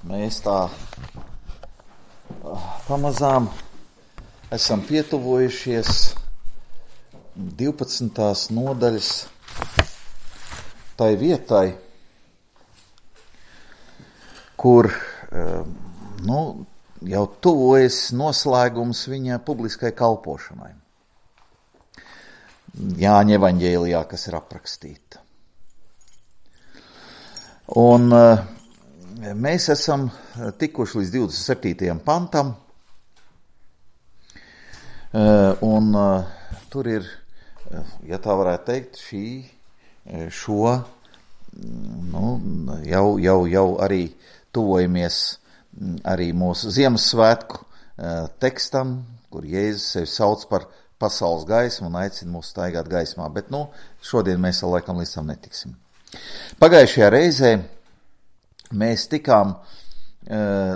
Mēs tā pamazām esam pietuvojušies 12. nodaļas tai vietai, kur jau tuvojas noslēgums viņa publiskai kalpošanai. Jāņa evaņģēlijā, kas ir aprakstīta. Un mēs esam tikuši līdz 27. pantam, un tur ir, ja tā varētu teikt, jau arī tuvojamies arī mūsu Ziemassvētku tekstam, kur Jēzus sevi sauc par pasaules gaismu un aicina mūs staigāt gaismā, bet šodien mēs vēl laikam līdz tam netiksim. Pagājušajā reizē mēs tikām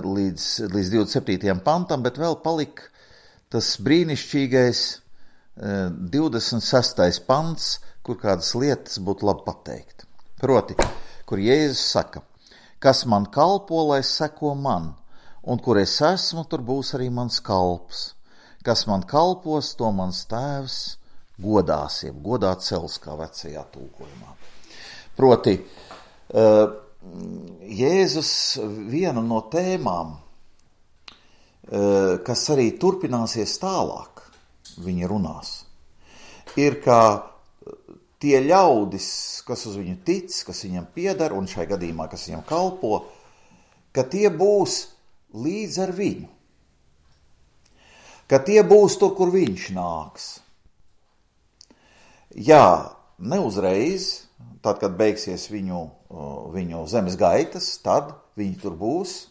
līdz 27. pantam, bet vēl palika tas brīnišķīgais 26. pants, kur kādas lietas būtu labi pateikt. Proti, kur Jēzus saka, kas man kalpo, lai seko man, un kur es esmu, tur būs arī mans kalps. Kas man kalpos, to mans tēvs godās, jeb godā cels, kā vecajā tulkojumā. Proti, Jēzus viena no tēmām, kas arī turpināsies tālāk, viņa runās, ir, ka tie ļaudis, kas uz viņu tic, kas viņam pieder, un šai gadījumā, kas viņam kalpo, ka tie būs līdz ar viņu. Ka tie būs tur, kur viņš nāks. Jā, neuzreiz, tad, kad beigsies viņu zemes gaitas, tad viņi tur būs.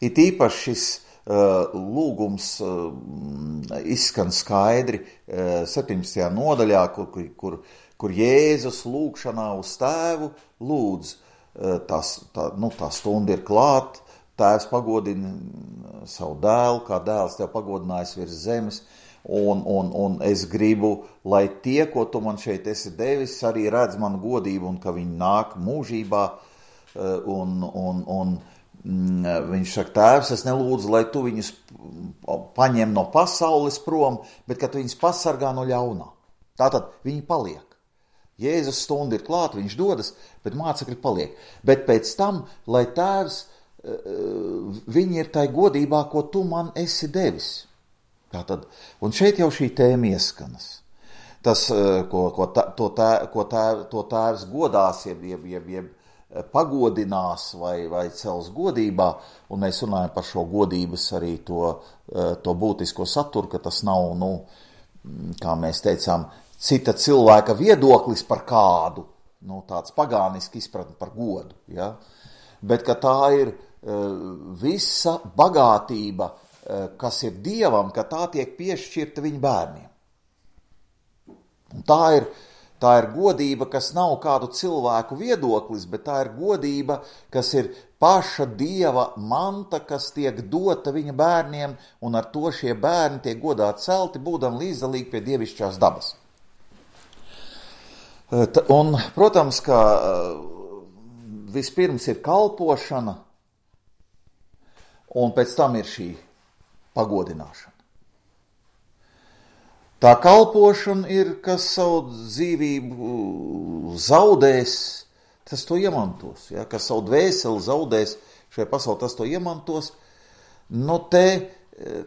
It īpaši šis lūgums izskan skaidri 17. nodaļā, kur Jēzus lūgšanā uz tēvu lūdz. Tā stunda ir klāt, tēvs pagodina savu dēlu, kā dēls tev pagodinājis virs zemes, un es gribu, lai tie, ko tu man šeit esi devis, arī redz manu godību, un ka viņi nāk mūžībā, un viņš saka, tēvs, es nelūdzu, lai tu viņus paņem no pasaules prom, bet ka tu viņus pasargā no ļaunā. Tātad viņi paliek. Jēzus stunda ir klāt, viņš dodas, bet mācekļi paliek. Bet pēc tam, lai tēvs, viņi ir tai godībā, ko tu man esi devis. Tātad, un šeit jau šī tēma ieskanas. Tas, ko tēvs godās, jeb pagodinās vai cels godībā, un mēs runājam par šo godības arī to būtisko saturu, ka tas nav, kā mēs teicām, cita cilvēka viedoklis par kādu, tāds pagāniski izpratni par godu, ja? Bet ka tā ir visa bagātība, kas ir Dievam, ka tā tiek piešķirta viņa bērniem. Un tā ir godība, kas nav kādu cilvēku viedoklis, bet tā ir godība, kas ir paša Dieva manta, kas tiek dota viņa bērniem, un ar to šie bērni tiek godā celti, būdam līdzdalīgi pie dievišķās dabas. Un, protams, ka vispirms ir kalpošana, un pēc tam ir šī pagodināšana. Tā kalpošana ir, kas savu dzīvību zaudēs, tas to iemantos. Ja? Kas savu dvēseli zaudēs šajā pasaulē, tas to iemantos.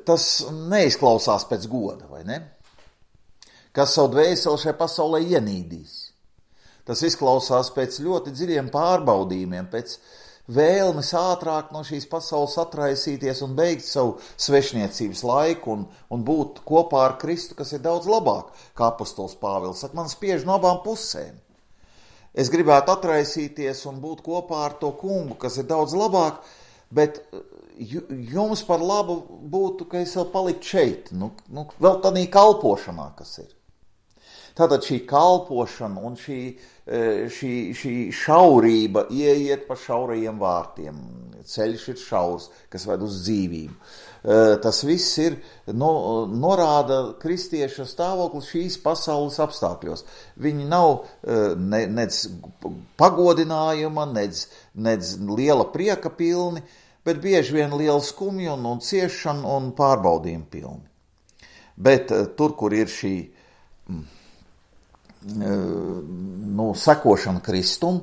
Tas neizklausās pēc goda, vai ne? Kas savu dvēseli šajā pasaulē ienīdīs. Tas izklausās pēc ļoti dziļiem pārbaudījumiem, pēc vēlmes ātrāk no šīs pasaules atraisīties un beigt savu svešniecības laiku un būt kopā ar Kristu, kas ir daudz labāk, kā apostols Pāvils saka, man spiež no abām pusēm. Es gribētu atraisīties un būt kopā ar to kungu, kas ir daudz labāk, bet jums par labu būtu, ka es vēl paliktu šeit, vēl tādā kalpošanā, kas ir. Tātad šī kalpošana un šī šaurība ieiet pa šaurajiem vārtiem. ceļš ir šaurs, kas ved uz dzīvību. Tas viss ir, norāda kristieša stāvokli šīs pasaules apstākļos. Viņi nav nec pagodinājuma, nec liela prieka pilni, bet bieži vien liela skumja un ciešana un pārbaudījuma pilni. Bet tur, kur ir šī sekošana Kristum,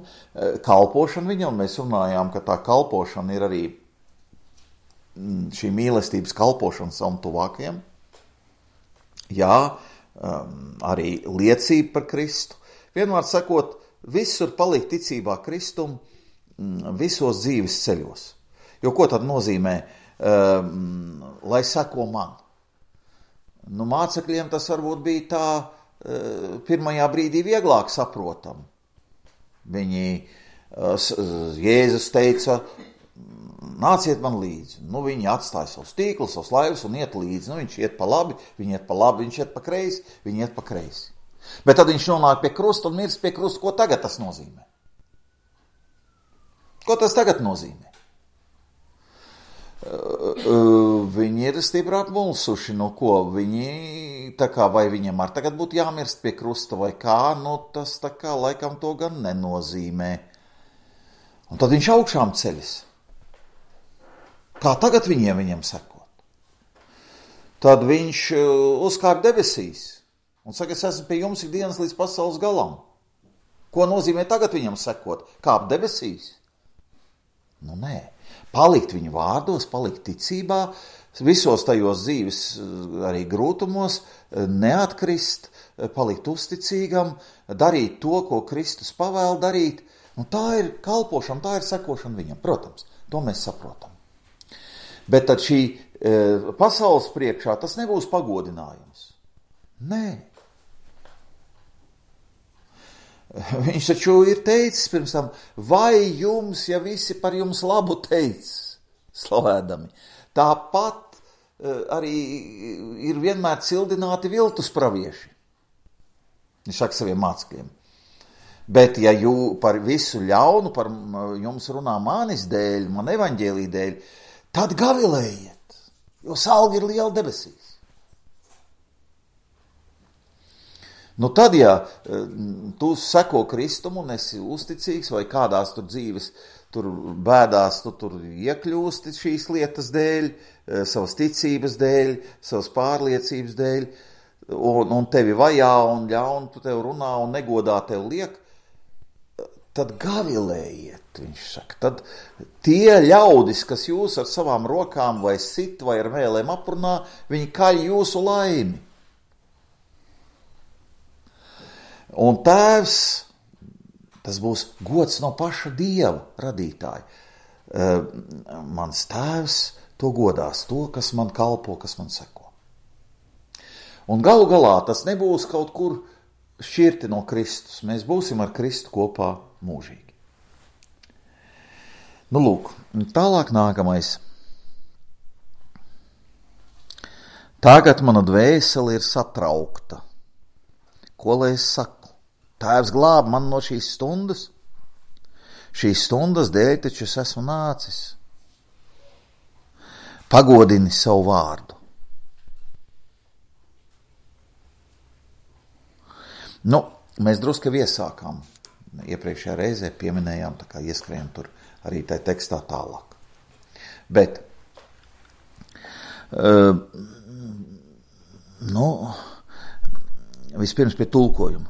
kalpošana viņam, mēs runājām, ka tā kalpošana ir arī šī mīlestības kalpošana savam tuvākajam. Jā, arī liecība par Kristu. Vienmēr sakot, visur palikt ticībā Kristum visos dzīves ceļos. Jo ko tad nozīmē, lai seko man? Mācekļiem tas varbūt bija tā pirmajā brīdī vieglāk saprotam. Jēzus teica, nāciet man līdzi. Viņi atstāja savus tīklus, savus laivus un iet līdzi. Viņš iet pa labi, viņi iet pa labi, viņš iet pa kreisi, viņi iet pa kreisi. Bet tad viņš nonāk pie krusta un mirst pie krusta. Ko tagad tas nozīmē? Ko tas tagad nozīmē? Viņi ir stipri apmulsuši, ko viņi, vai viņam ar tagad būtu jāmirst pie krusta vai kā, tas laikam to gan nenozīmē. Un tad viņš augšām ceļas. Kā tagad viņiem sekot? Tad viņš uzkāp debesīs un saka, es esmu pie jums ikdienas līdz pasaules galam. Ko nozīmē tagad viņam sekot? Kāp debesīs? Nē. Palikt viņu vārdos, palikt ticībā, visos tajos dzīves arī grūtumos, neatkrist, palikt uzticīgam, darīt to, ko Kristus pavēl darīt. Tā ir kalpošana, tā ir sekošana viņam. Protams, to mēs saprotam. Bet tad šī pasaules priekšā tas nebūs pagodinājums. Nē. Viņš taču ir teicis pirms tam, vai jums, ja visi par jums labu teic, slavēdami, tāpat arī ir vienmēr cildināti viltus pravieši. Viņš saka saviem mācekļiem. Bet ja par visu ļaunu, par jums runā manis dēļ, man evaņģēlī dēļ, tad gavilējiet, jo salga ir liela debesīs. Tad, ja tu seko Kristumu un esi uzticīgs vai kādās tur dzīves bēdās, tu tur iekļūsti šīs lietas dēļ, savas ticības dēļ, savas pārliecības dēļ, un tevi vajā un ļaun, tu tev runā un negodā tev liek, tad gavilējiet, viņš saka. Tad tie ļaudis, kas jūs ar savām rokām vai sit vai ar vēlēm aprunā, viņi kaļ jūsu laimi. Un tēvs, tas būs gods no paša Dieva radītāja. Mans tēvs to godās, to, kas man kalpo, kas man seko. Un galu galā tas nebūs kaut kur šķirti no Kristus. Mēs būsim ar Kristu kopā mūžīgi. Lūk, tālāk nākamais. Tagad mana dvēsele ir satraukta. Ko lai es saku? Tēvs glāb man no šīs stundas. Šīs stundas dēļ taču es esmu nācis. Pagodini savu vārdu. Mēs drusku iesākām. Iepriekšējā reizē pieminējām, tā kā ieskrējām tur arī tai tekstā tālāk. Bet, vispirms pie tulkojuma.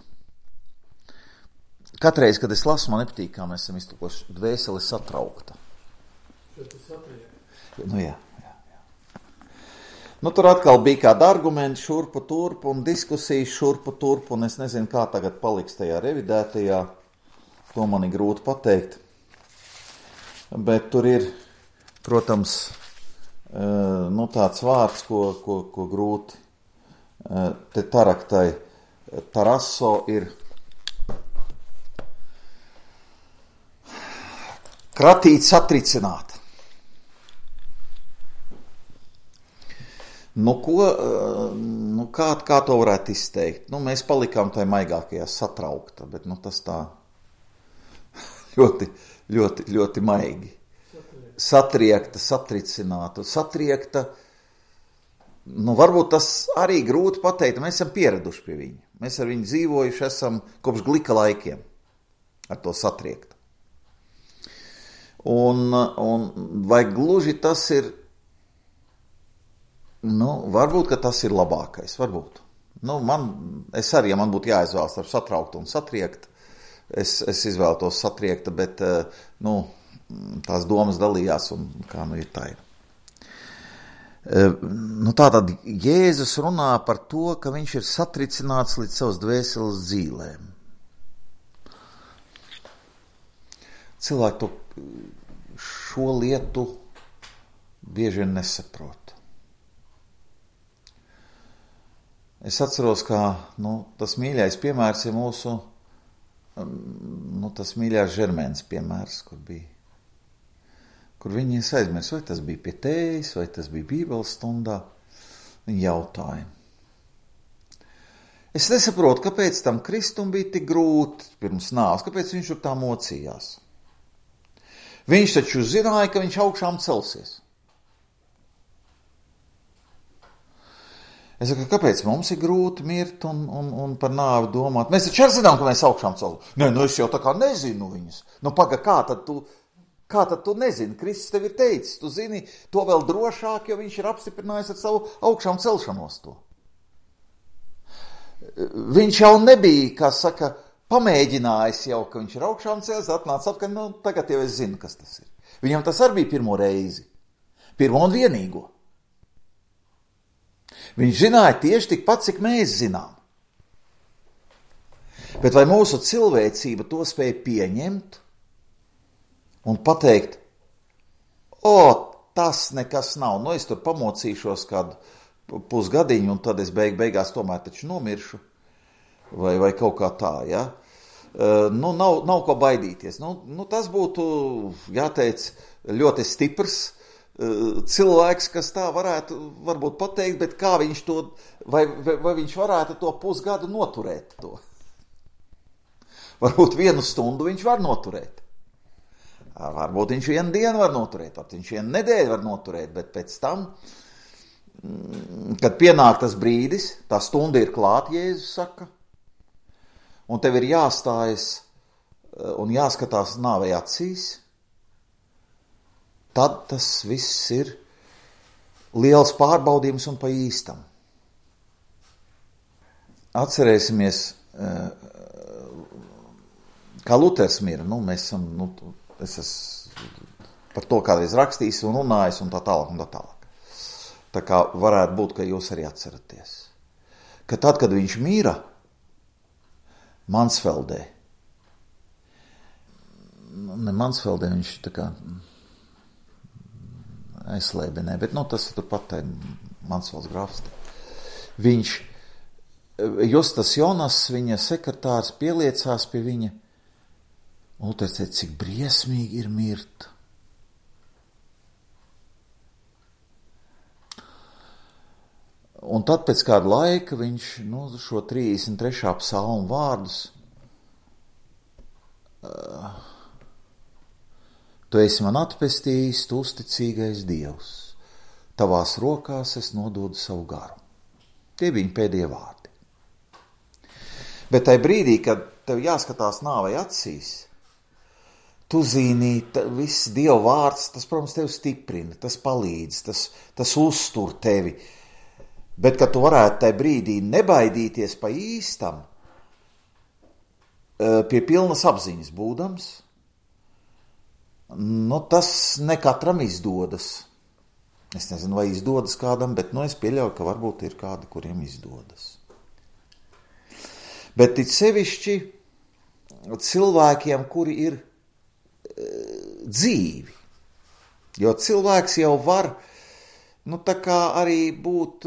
Katreiz, kad es lasu, man nepatīk, kā mēs esam iztulkojuši, dvēsele satraukta. Jā. Tur atkal bija kādi argumenti šurpu turpu un diskusijas šurpu turpu, un es nezinu, kā tagad paliks tajā revidētajā. To man ir grūti pateikt. Bet tur ir, protams, tāds vārds, ko grūti te taraktai. Taraso ir kratīt, satricināt. Kā to varētu izteikt? Mēs palikām tai maigākajā satraukta, bet tas tā ļoti, ļoti, ļoti maigi. satriekta, satricināta, satriekta. Varbūt tas arī grūti pateikt, mēs esam pieraduši pie viņa. Mēs ar viņu dzīvojuši esam kopš glika laikiem ar to satriektu. Un vai gluži tas ir, varbūt, ka tas ir labākais, varbūt. Es arī, ja man būtu jāizvēlas ar satrauktu un satriektu, es izvēlētos satriekta, bet, tās domas dalījās un kā ir tā ir. Tātad Jēzus runā par to, ka viņš ir satricināts līdz savas dvēseles dzīlēm. Cilvēki šo lietu bieži vien nesaprot. Es atceros, ka tas mīļais piemērs ir mūsu, tas mīļās Žermēnas piemērs, kur viņi aizmirs, vai tas bija pie tējas, vai tas bija Bībeles stundā. Viņi jautāja. Es nesaprotu, kāpēc tam Kristum bija tik grūti pirms nāves, kāpēc viņš tur tā mocījās. Viņš taču zināja, ka viņš augšām celsies. Es saku, kāpēc mums ir grūti mirt un par nāvi domāt? Mēs taču arī zinām, ka mēs augšām celsies. Nē, es jau tā kā nezinu viņus. Kā tad tu nezini? Kristus tev ir teicis, tu zini to vēl drošāk, jo viņš ir apstiprinājis ar savu augšām celšanos to. Viņš jau nebija, kā saka, pamēģinājis jau, ka viņš ir augšām cēlies, atnāca atpakaļ, tagad jau es zinu, kas tas ir. Viņam tas arī bija pirmo reizi, pirmo un vienīgo. Viņš zināja tieši tikpat, cik mēs zinām. Bet vai mūsu cilvēcība to spēja pieņemt un pateikt, tas nekas nav, es tur pamocīšos kādu pusgadiņu un tad es beigās tomēr taču nomiršu, vai kaut kā tā, ja? Nav ko baidīties. Tas būtu, jāteic, ļoti stiprs cilvēks, kas tā varētu varbūt pateikt, bet kā viņš to, vai viņš varētu to pusgadu noturēt to? Varbūt 1 stundu viņš var noturēt. Varbūt viņš 1 dienu var noturēt, varbūt viņš 1 nedēļu var noturēt, bet pēc tam, kad pienāk tas brīdis, tā stunda ir klāt, Jēzus saka, un tev ir jāstājas un jāskatās nāvei acīs, tad tas viss ir liels pārbaudījums un pa īstam. Atcerēsimies, kā Luters mira, mēs esam, es esmu par to kādreiz rakstījis un runājis un tā tālāk un tā tālāk. Tā kā varētu būt, ka jūs arī atceraties, ka tad, kad viņš mīra Mansfeldē, viņš tā kā aizslēbenē, bet tas ir turpat Mansfelds grafstē. Viņš, Justas Jonas, viņa sekretārs, pieliecās pie viņa, un Luters teica, cik briesmīgi ir mirt. Un tad pēc kāda laika viņš šo 33. psalmu vārdus Tu esi man atpestījis, tu uzticīgais Dievs. Tavās rokās es nododu savu garu. Tie bija viņa pēdējie vārdi. Bet tajā brīdī, kad tev jāskatās nāvei acīs, tu zini, viss Dieva vārds, tas, protams, tevi stiprina, tas palīdz, tas uztur tevi. Bet, kad tu varētu tajā brīdī nebaidīties pa īstam, pie pilnas apziņas būdams, tas ne katram izdodas. Es nezinu, vai izdodas kādam, bet es pieļauju, ka varbūt ir kādi, kuriem izdodas. Bet it sevišķi cilvēkiem, kuri ir dzīvi. Jo cilvēks jau var tā kā arī būt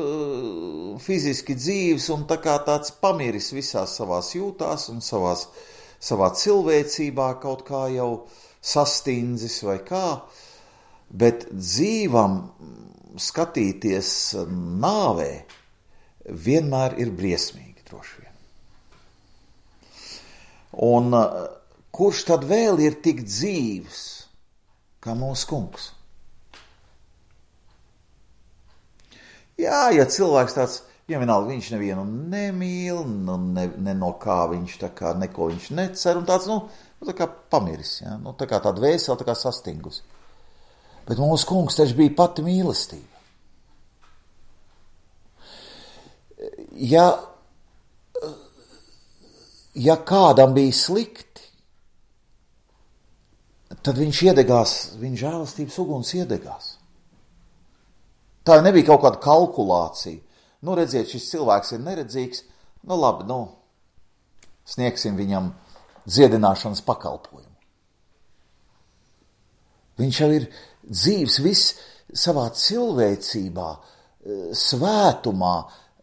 fiziski dzīvs un tā kā tāds pamiris visās savās jūtās un savā cilvēcībā kaut kā jau sastindzis vai kā, bet dzīvam skatīties nāvē vienmēr ir briesmīgi droši vien. Un kurš tad vēl ir tik dzīvs kā mūsu kungs? Jā, ja cilvēks tāds, vienalga, viņš nevienu nemīl, ne no kā viņš tā kā, neko viņš necer, un tāds, tā kā pamiris, ja? Tā kā tāda vēsela, tā kā sastingusi. Bet mūsu kungs taču bija pati mīlestība. Ja kādam bija slikti, tad viņš iedegās, viņa žēlastības uguns iedegās. Tā nebija kaut kāda kalkulācija. Redziet, šis cilvēks ir neredzīgs, labi, sniegsim viņam dziedināšanas pakalpojumu. Viņš jau ir dzīvs viss savā cilvēcībā, svētumā,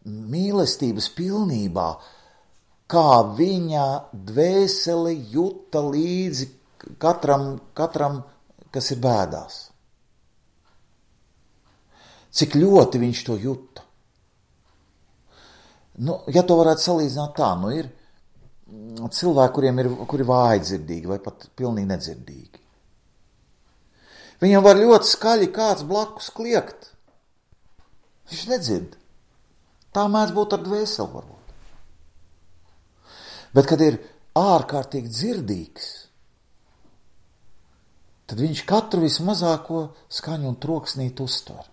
mīlestības pilnībā, kā viņa dvēsele juta līdzi katram, kas ir bēdās. Cik ļoti viņš to juta. Ja to varētu salīdzināt tā, ir cilvēki, kuri vājdzirdīgi vai pat pilnīgi nedzirdīgi. Viņam var ļoti skaļi kāds blakus kliegt. Viņš nedzird. Tā mēdz būt ar dvēseli varbūt. Bet, kad ir ārkārtīgi dzirdīgs, tad viņš katru vismazāko skaņu un troksnīti uztver.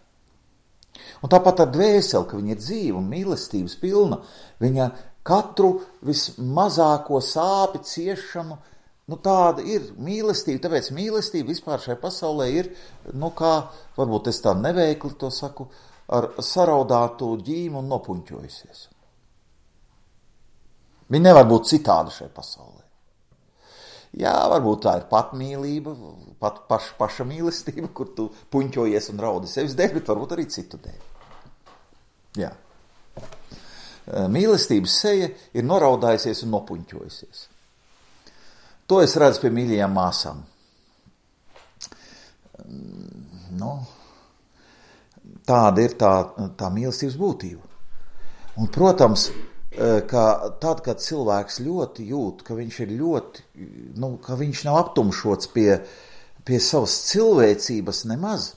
Un tāpat ar dvēseli, ka viņa ir dzīva un mīlestības pilna, viņa katru vismazāko sāpi, ciešanu, tāda ir mīlestība, tāpēc mīlestība vispār šajā pasaulē ir, kā, varbūt es tā neveikli to saku, ar saraudātu ģīmu un nopuņķojusies. Viņa nevar būt citāda šajā pasaulē. Jā, varbūt tā ir patmīlība, paša mīlestība, kur tu puņķojies un raudi sevis dēļ, bet varbūt arī citu dēļ. Jā. Mīlestības seja ir noraudājusies un nopuņķojusies. To es redzu pie mīļajām māsām. Tāda ir tā mīlestības būtība. Un, protams, ka tad, kad cilvēks ļoti jūt, ka viņš ir ļoti, ka viņš nav aptumšots pie savas cilvēcības nemaz,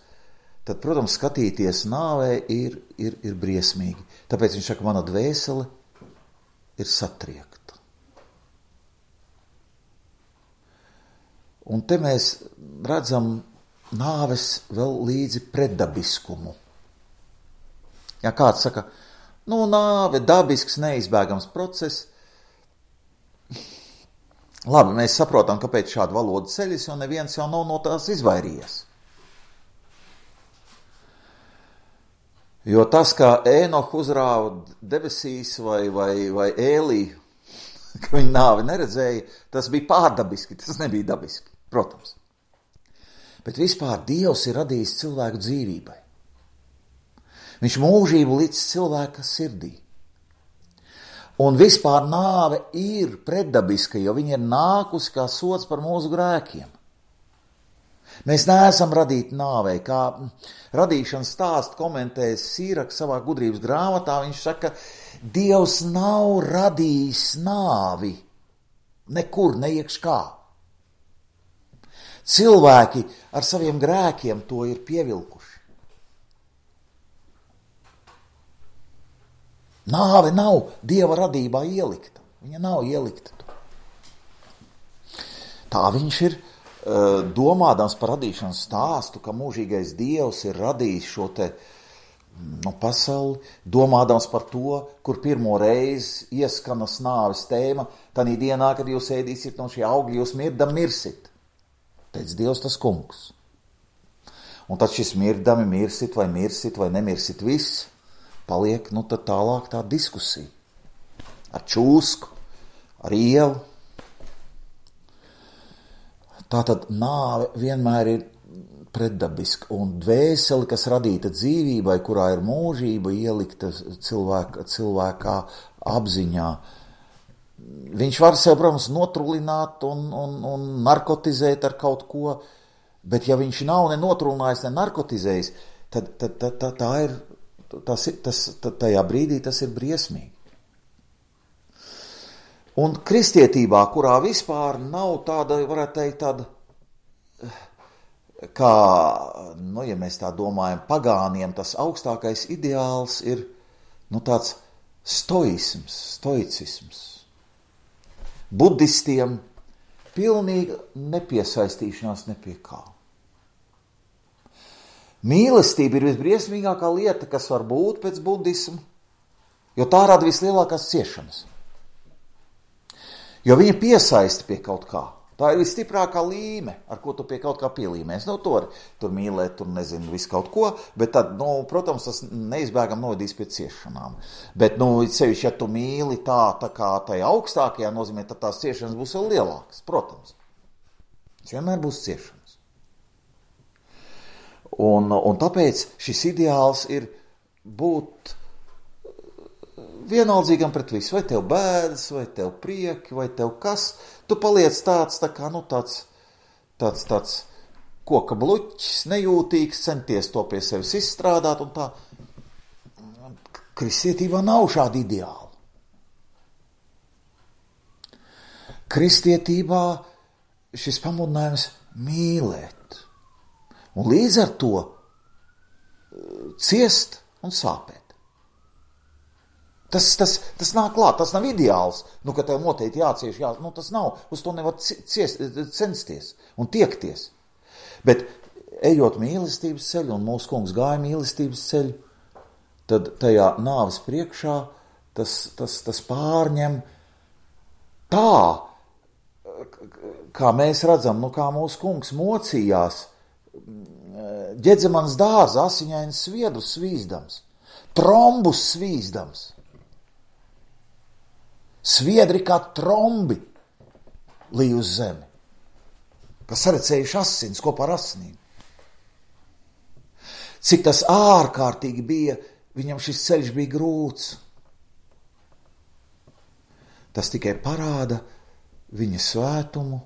tad, protams, skatīties nāvē ir briesmīgi. Tāpēc viņš saka, mana dvēsele ir satriekta. Un te mēs redzam nāves vēl līdzi pretdabiskumu. Ja kāds saka, nāve, dabisks, neizbēgams process. Labi, mēs saprotam, kāpēc šāda valoda ceļas, jo neviens jau nav no tās izvairījies. Jo tas, kā Ēnohu uzrāva debesīs vai Ēlī, ka viņa nāvi neredzēja, tas bija pārdabiski, tas nebija dabiski, protams. Bet vispār Dievs ir radījis cilvēku dzīvībai. Viņš mūžību līdz cilvēka sirdī. Un vispār nāve ir pretdabiska, jo viņa ir nākusi kā sods par mūsu grēkiem. Mēs neesam radīti nāvei, kā radīšanas stāstu komentēs Sīraks savā gudrības grāmatā. Viņš saka, Dievs nav radījis nāvi nekur, neiekš kā. Cilvēki ar saviem grēkiem to ir pievilkuši. Nāve nav Dieva radībā ielikta. Viņa nav ielikta. Tā viņš ir domādams par radīšanas stāstu, ka mūžīgais Dievs ir radījis šo te pasauli, domādams par to, kur pirmo reizi ieskanas nāves tēma, tanī dienā, kad jūs ēdīsiet no šī augļa, jūs mirdam mirsit. Teic Dievs tas kungs. Un tad šis mirdami mirsit vai nemirsit viss, paliek, tad tālāk tā diskusija. Ar čūsku, ar ielu. Tātad nāve vienmēr ir pretdabiska. Un dvēseli, kas radīta dzīvībai, kurā ir mūžība ielikta cilvēkā apziņā, viņš var sev, protams, notrulināt un narkotizēt ar kaut ko, bet ja viņš nav ne notrulinājis, ne narkotizējis, tad tā ir, tajā brīdī tas ir briesmīgi. Un kristietībā, kurā vispār nav tāda, varētu teikt, tāda kā ja mēs tā domājam, pagāniem tas augstākais ideāls ir, tāds stoicisms. Budistiem pilnīga nepiesaistīšanās ne pie kā. Mīlestība ir visbriesmīgākā lieta, kas var būt pēc budismu, jo tā rada vislielākās ciešanas. Jo viņa piesaista pie kaut kā. Tā ir visstiprākā līme, ar ko tu pie kaut kā pielīmēs. Tur mīlēt, tur nezinu, visu kaut ko, bet tad, protams, tas neizbēgam novadīs pie ciešanām. Bet, sevišķi, ja tu mīli tā kā tajā augstākajā nozīmē, tad tās ciešanas būs vēl lielākas, protams. Tas vienmēr būs ciešanas. Un tāpēc šis ideāls ir būt vienaldzīgam pret visu. Vai tev bēdas, vai tev prieki, vai tev kas. Tu paliec tāds koka bluķis, nejūtīgs, centies to pie sevis izstrādāt un tā. Kristietībā nav šāda ideāla. Kristietībā šis pamudinājums mīlēt. Un līdz ar to ciest un sāpēt. Tas nāk klāt, tas nav ideāls, ka tev noteikti jācieš, tas nav, uz to nevar censties un tiekties. Bet ejot mīlestības ceļu, un mūsu kungs gāja mīlestības ceļu, tad tajā nāves priekšā tas pārņem tā, kā mēs redzam, kā mūsu kungs mocījās Ģedzemanas dārza asiņainas sviedrus svīzdams, trombus svīzdams. Sviedri kā trombi līj uz zemi, kas sarecējuši asins kopā ar asinīm. Cik tas ārkārtīgi bija, viņam šis ceļš bija grūts. Tas tikai parāda viņa svētumu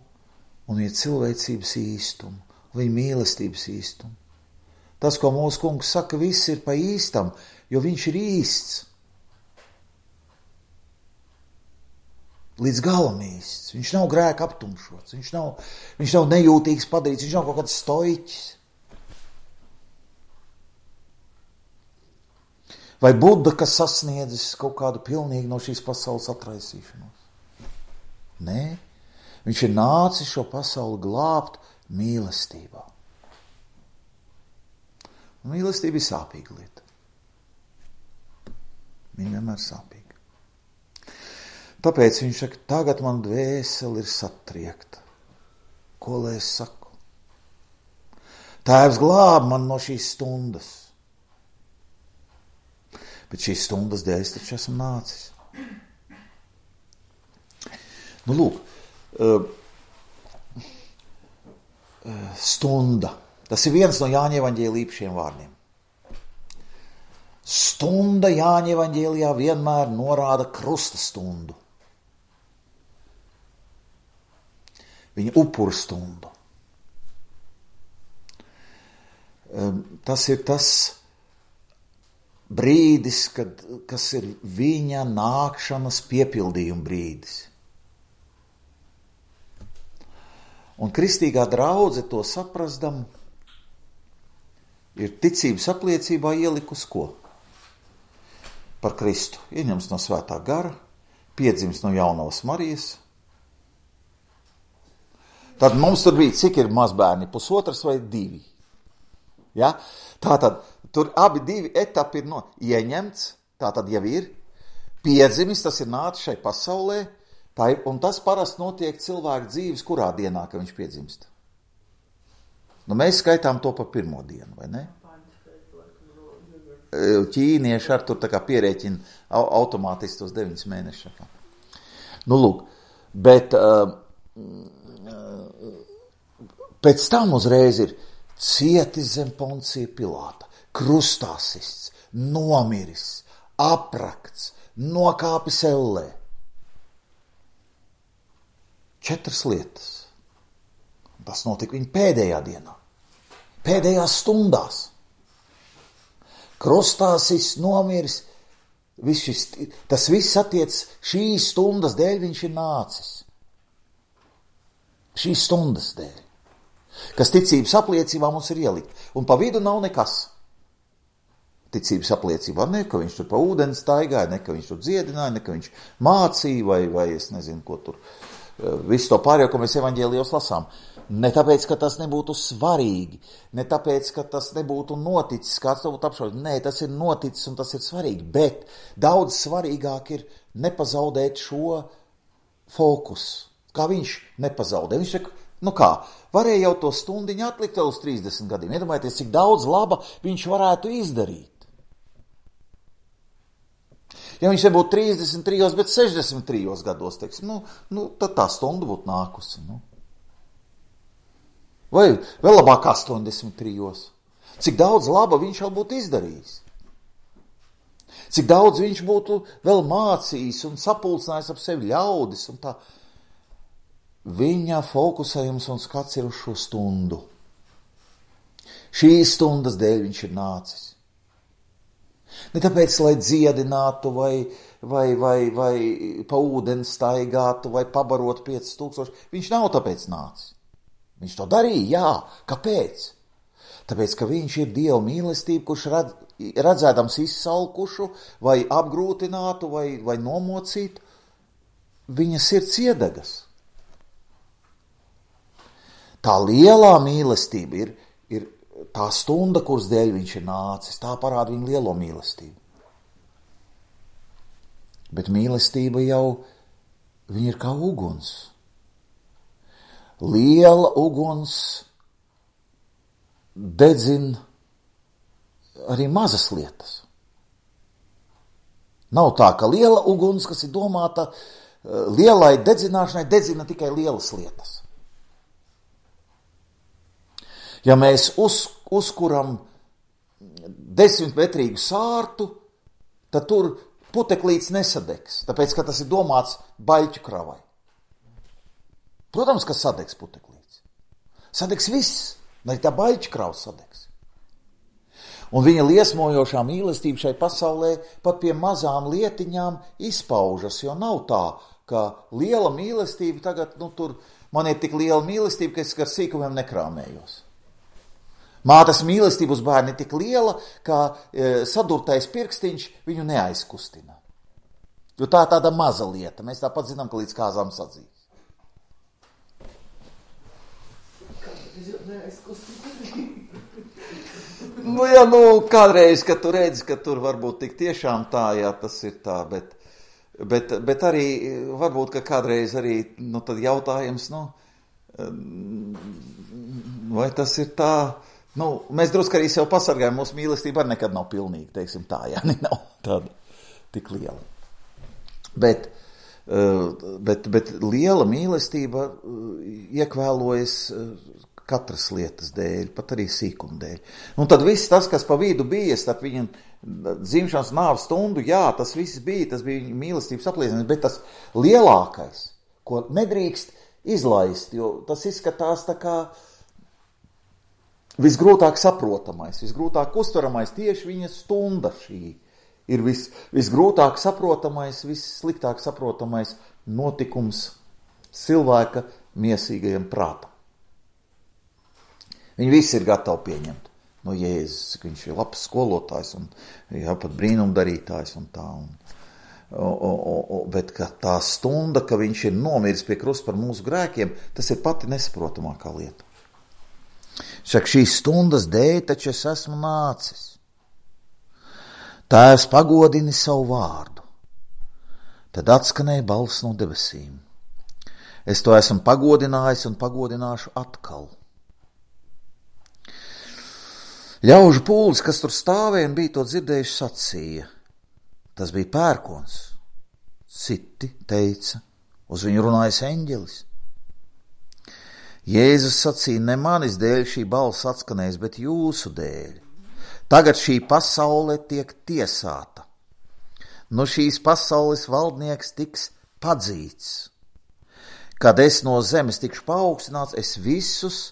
un viņa cilvēcības īstumu, viņa mīlestības īstumu. Tas, ko mūsu kungs saka, viss ir pa īstam, jo viņš ir īsts. Līdz galam īsts. Viņš nav grēka aptumšots, viņš nav nejūtīgs padarīts, viņš nav kaut kāds stoiķis. Vai Buda, kas sasniedzis kaut kādu pilnīgi no šīs pasaules atraisīšanos? Nē, viņš ir nācis šo pasauli glābt mīlestībā. Mīlestība ir sāpīga lieta. Viņa vienmēr sāpīga. Tāpēc viņš saka, tagad man dvēseli ir satriekta. Ko lai es saku? Tēvs glāb man no šīs stundas. Bet šīs stundas dēļ es taču esmu nācis. Lūk, stunda. Tas ir viens no Jāņa evaņģēlija īpašiem vārdiem. Stunda Jāņa evaņģēlijā vienmēr norāda krusta stundu. Viņa upuru stundu. Tas ir tas brīdis, kas ir viņa nākšanas piepildījuma brīdis. Un kristīgā draudze to saprasdam, ir ticības apliecībā ielikus ko? Par Kristu. Ieņems no svētā gara, piedzims no jaunavas Marijas. Tad mums tur bija, cik ir mazbērni, 1,5 vai 2. Ja? Tātad, tur abi 2 etapi ir ieņemts, tātad jau ir, piedzimis, tas ir nācis šai pasaulē, un tas parasti notiek cilvēku dzīves, kurā dienā, ka viņš piedzimst. Mēs skaitām to par pirmo dienu, vai ne? Ķīnieši ar tur tā kā pierēķina automātiski tos 9 mēnešus. Lūk, bet pēc tam uzreiz ir cietis zem Poncija Pilāta, krustā sists, nomiris, aprakts, nokāpis ellē. 4 lietas. Tas notika viņa pēdējā dienā, pēdējās stundās. Krustā sists, nomiris, tas viss attiec šīs stundas dēļ viņš ir nācis. Šīs stundas dēļ. kas ticības apliecībā mums ir ielikt. Un pa vidu nav nekas. Ticības apliecībā ne, ka viņš tur pa ūdeni staigāja, ne, ka viņš tur dziedināja, ne, ka viņš mācīja, vai es nezinu, ko tur. Visu to pārējo, ko mēs evaņģēlijos lasām. Ne tāpēc, ka tas nebūtu svarīgi, ne tāpēc, ka tas nebūtu noticis, kāds to būtu apšaubīt. Nē, tas ir noticis un tas ir svarīgi, bet daudz svarīgāk ir nepazaudēt šo fokusu. Kā viņš nepazaudē. Viņš saka, nu kā, varēja jau to stundiņu atlikt vēl uz 30 gadiem. Iedomājieties, cik daudz laba viņš varētu izdarīt. Ja viņš nebūtu 33, bet 63 gados, teiksim, tad tā stunda būtu nākusi. Vai vēl labāk 83. Cik daudz laba viņš jau būtu izdarījis. Cik daudz viņš būtu vēl mācījis un sapulcinājis ap sevi ļaudis un tā. Viņa fokusējums un skats ir uz šo stundu. Šīs stundas dēļ viņš ir nācis. Ne tāpēc, lai dziedinātu vai pa ūdeni staigātu vai pabarot 5000. Viņš nav tāpēc nācis. Viņš to darīja, jā. Kāpēc? Tāpēc, ka viņš ir Dieva mīlestība, kurš redzēdams izsalkušu vai apgrūtinātu vai nomocītu, viņa sirds iedegas. Tā lielā mīlestība ir tā stunda, kuras dēļ viņš ir nācis, tā parāda viņa lielo mīlestību. Bet mīlestība jau, viņa ir kā uguns. Liela uguns dedzina arī mazas lietas. Nav tā, ka liela uguns, kas ir domāta lielai dedzināšanai, dedzina tikai lielas lietas. Ja mēs uzkuram 10-metrīgu sārtu, tad tur puteklīts nesadegs, tāpēc, ka tas ir domāts baļķu kravai. Protams, ka sadegs puteklīts. Sadegs viss, lai tā baļķu krava sadegs. Un viņa liesmojošā mīlestība šai pasaulē pat pie mazām lietiņām izpaužas, jo nav tā, ka liela mīlestība tagad, tur man ir tik liela mīlestība, ka es ar sīkumiem nekrāmējos. Mātes mīlestība uz bērni ir tik liela, ka sadurtais pirkstiņš viņu neaizkustina. Jo tā ir tāda maza lieta. Mēs tāpat zinām, ka līdz kāzām sadzīs. Kādreiz, kad tu redzi, ka tur varbūt tik tiešām tā, jā, tas ir tā, bet arī varbūt, ka kādreiz arī, tad jautājums, vai tas ir tā. Mēs drusku arī sev pasargājam, mūsu mīlestība arī nekad nav pilnīga, teiksim tā, jā, nav tāda tik liela. Bet liela mīlestība iekvēlojas katras lietas dēļ, pat arī sīkuma dēļ. Un tad viss tas, kas pa vidu bija, starp viņam dzimšanas nāves stundu, jā, tas viss bija, tas bija viņa mīlestības apliecinājums, bet tas lielākais, ko nedrīkst izlaist, jo tas izskatās tā kā visgrūtāk saprotamais, visgrūtāk uztveramais, tieši viņa stunda šī ir visgrūtāk saprotamais, vissliktāk saprotamais notikums cilvēka miesīgajam prātam. Viņi visi ir gatavi pieņemt no Jēzus, ka viņš ir labs skolotājs un pat brīnumdarītājs un tā. Bet ka tā stunda, ka viņš ir nomiris pie krusta par mūsu grēkiem, tas ir pati nesaprotamākā lieta. Saka, šīs stundas dēļ taču es esmu nācis. Tēvs pagodini savu vārdu. Tad atskanēja balss no debesīm. Es to esmu pagodinājis un pagodināšu atkal. Ļaužu pūlis, kas tur stāvēja un bija to dzirdējuši, sacīja. Tas bija pērkons. Citi teica, uz viņu runājas eņģelis. Jēzus sacīja, ne manis dēļ šī balss atskanēs, bet jūsu dēļ. Tagad šī pasaule tiek tiesāta. No šīs pasaules valdnieks tiks padzīts. Kad es no zemes tikšu paaugstināts, es visus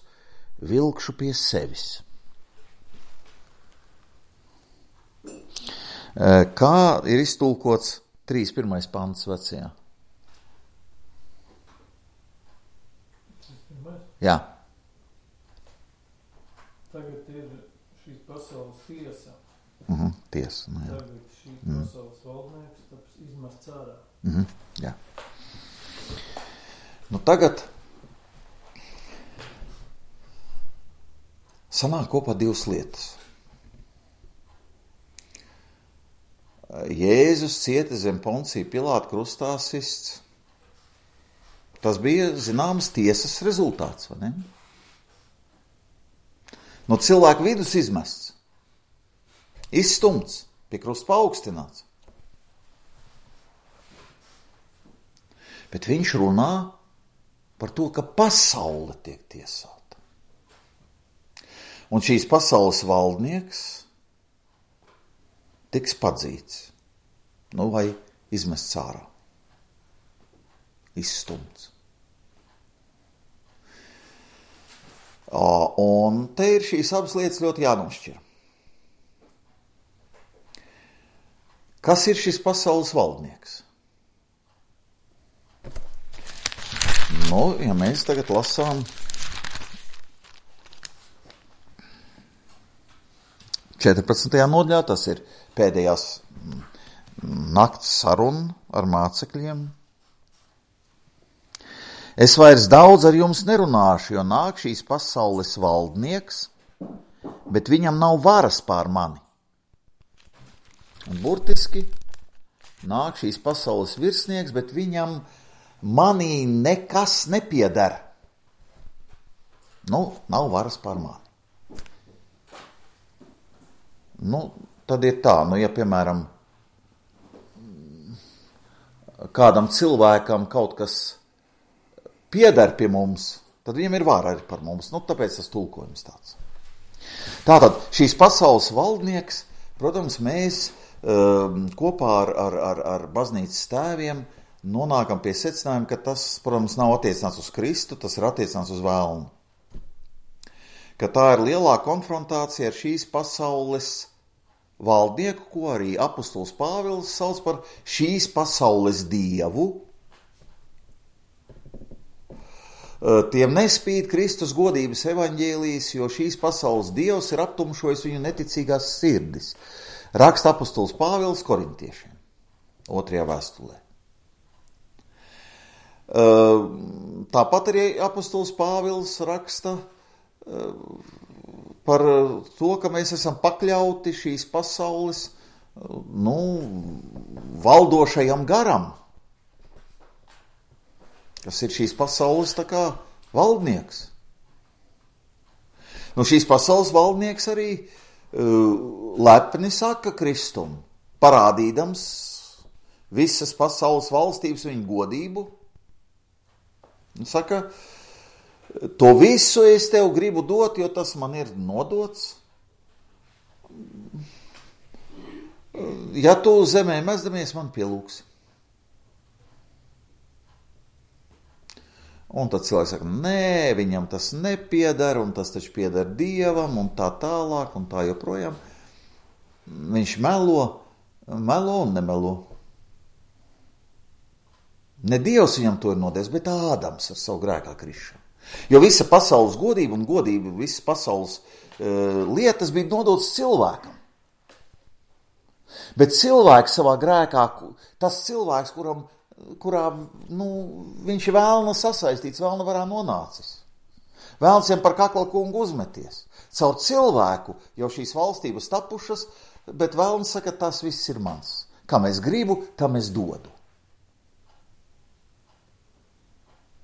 vilkšu pie sevis. Kā ir iztulkots 3.1. pants vecajā? Jā. Tagad ir šīs pasaules tiesa. Tiesa. Nu, jā. Tagad šīs pasaules valdnieks taps izmests ārā. Jā. Nu tagad sanāk kopā divas lietas. Jēzus cieta zem Poncija Pilāta krustā sists. Tas bija zināmas tiesas rezultāts, vai ne? No cilvēka vidus izmests, izstumts, pie krusta paaugstināts. Bet viņš runā par to, ka pasaule tiek tiesāta. Un šīs pasaules valdnieks tiks padzīts, vai izmests ārā, izstumts. Un te ir šīs abas lietas ļoti jānošķir. Kas ir šis pasaules valdnieks? Ja mēs tagad lasām 14. nodaļā, tas ir pēdējās nakts saruna ar mācekļiem. Es vairs daudz ar jums nerunāšu, jo nāk šīs pasaules valdnieks, bet viņam nav varas pār mani. Un burtiski nāk šīs pasaules virsnieks, bet viņam manī nekas nepieder. Nav varas pār mani. Tad ir tā, ja piemēram kādam cilvēkam kaut kas pieder pie mums, tad viņam ir vara arī par mums. Tāpēc tas tulkojums tāds. Tātad šīs pasaules valdnieks, protams, mēs kopā ar baznīcas tēviem nonākam pie secinājuma, ka tas, protams, nav attiecināts uz Kristu, tas ir attiecināts uz vēlnu. Ka tā ir lielā konfrontācija ar šīs pasaules valdnieku, ko arī apostols Pāvils sauc par šīs pasaules dievu. Tiem nespīd Kristus godības evaņģēlijas, jo šīs pasaules dievs ir aptumšojis viņu neticīgās sirdis. Raksta apostols Pāvils Korintiešiem, 2. vēstulē. Tāpat arī apostols Pāvils raksta par to, ka mēs esam pakļauti šīs pasaules valdošajam garam, kas ir šīs pasaules tā kā valdnieks. Šīs pasaules valdnieks arī lepni saka Kristum, parādīdams visas pasaules valstības viņu godību. Un saka, to visu es tev gribu dot, jo tas man ir nodots. Ja tu zemē mezdamies, man pielūksi. Un tad cilvēks saka, nē, viņam tas nepieder, un tas taču pieder Dievam, un tā tālāk, un tā joprojām. Viņš melo un nemelo. Ne Dievs viņam to ir nodevis, bet Ādams ar savu grēkā krišanu. Jo visa pasaules godība un godība, visas pasaules lietas bija nodotas cilvēkam. Bet cilvēks savā grēkā, tas cilvēks, kurā viņš ir vēlna sasaistīts, vēlna varā nonācis. Vēlns viņam par kakla kungu uzmeties. Caur cilvēku jau šīs valstības tapušas, bet vēlns saka, tas viss ir mans. Kam es gribu, tam es dodu.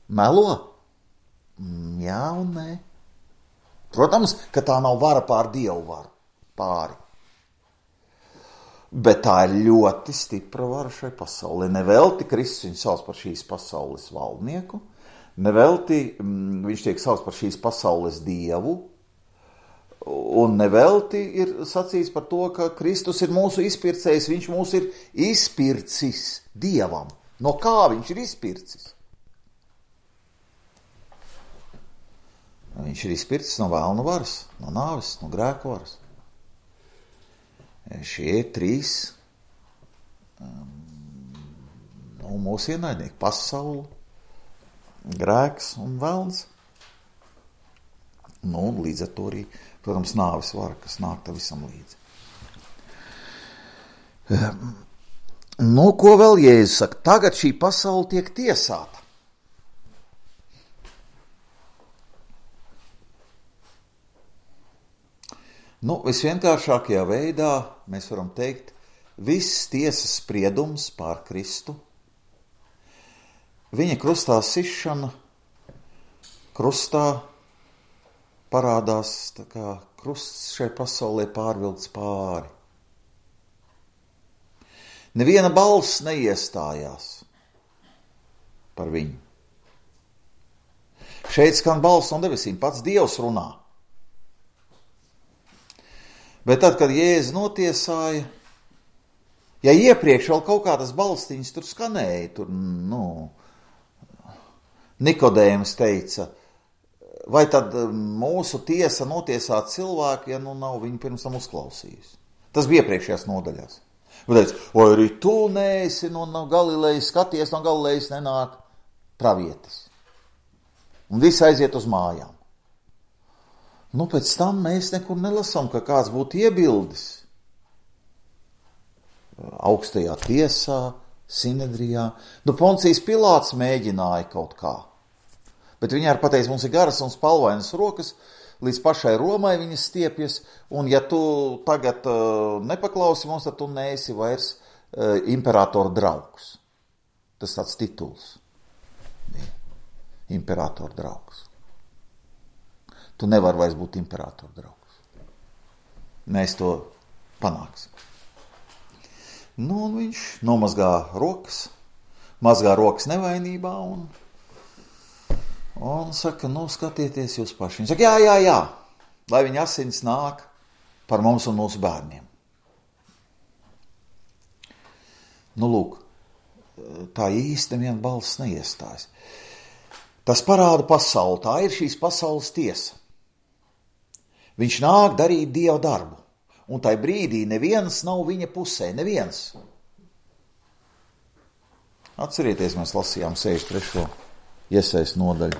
Melo? Jā un nē. Protams, ka tā nav vara pār Dievu varu, pāri. Bet tā ir ļoti stipra vara šai pasaulē. Nevelti Kristus viņu sauc par šīs pasaules valdnieku, nevelti viņš tiek sauc par šīs pasaules dievu, un nevelti ir sacīts par to, ka Kristus ir mūsu izpircējs, viņš mūs ir izpircis Dievam. No kā viņš ir izpircis? Viņš ir izpircis no vēlna varas, no nāves, no grēku varas. Šie ir trīs mūsu ienaidnieki - pasaule, grēks un vēlns. Līdz ar to arī, Protams, nāves vara, kas nāk tam visam līdzi. Ko vēl Jēzus saka? Tagad šī pasaule tiek tiesāta. Visvienkāršākajā veidā mēs varam teikt, viss tiesas spriedums pār Kristu, viņa krustā sišana, krustā parādās, tā kā krusts šai pasaulē pārvilkts pāri. Neviena balss neiestājās par viņu. Šeit skan balss no debesīm, pats Dievs runā. Bet tad, kad Jēzus notiesāja, ja iepriekš vēl kaut kādas balstiņas tur skanēja, tur, Nikodējums teica, vai tad mūsu tiesa notiesāt cilvēku, ja nav viņu pirms tam uzklausījusi. Tas bija iepriekšējās nodaļās. Vai arī tu neesi no Galilejas, skaties, no Galilejas nenāk pravietis. Un visi aiziet uz mājām. Pēc tam mēs nekur nelasām, ka kāds būtu iebildis. Augstajā tiesā, Sinedrijā. Poncijs Pilāts mēģināja kaut kā. Bet viņi arī pateica, mums ir garas un spalvainas rokas, līdz pašai Romai viņas stiepjas, un ja tu tagad nepaklausi mums, tad tu neesi vairs imperatora draugs. Tas tāds tituls. Imperatora draugs. Tu nevari vairs būt imperatora draugs. Mēs to panāksim. Un viņš nomazgā rokas nevainībā un saka, skatieties jūs paši. Viņš saka, jā, lai viņa asins nāk par mums un mūsu bērniem. Lūk, tā īsti neviena balss neiestājas. Tas parāda pasauli, tā ir šīs pasaules tiesa. Viņš nāk darīt Dieva darbu, un tai brīdī neviens nav viņa pusē, neviens. Atcerieties, mēs lasījām 63. Iesaist nodaļu.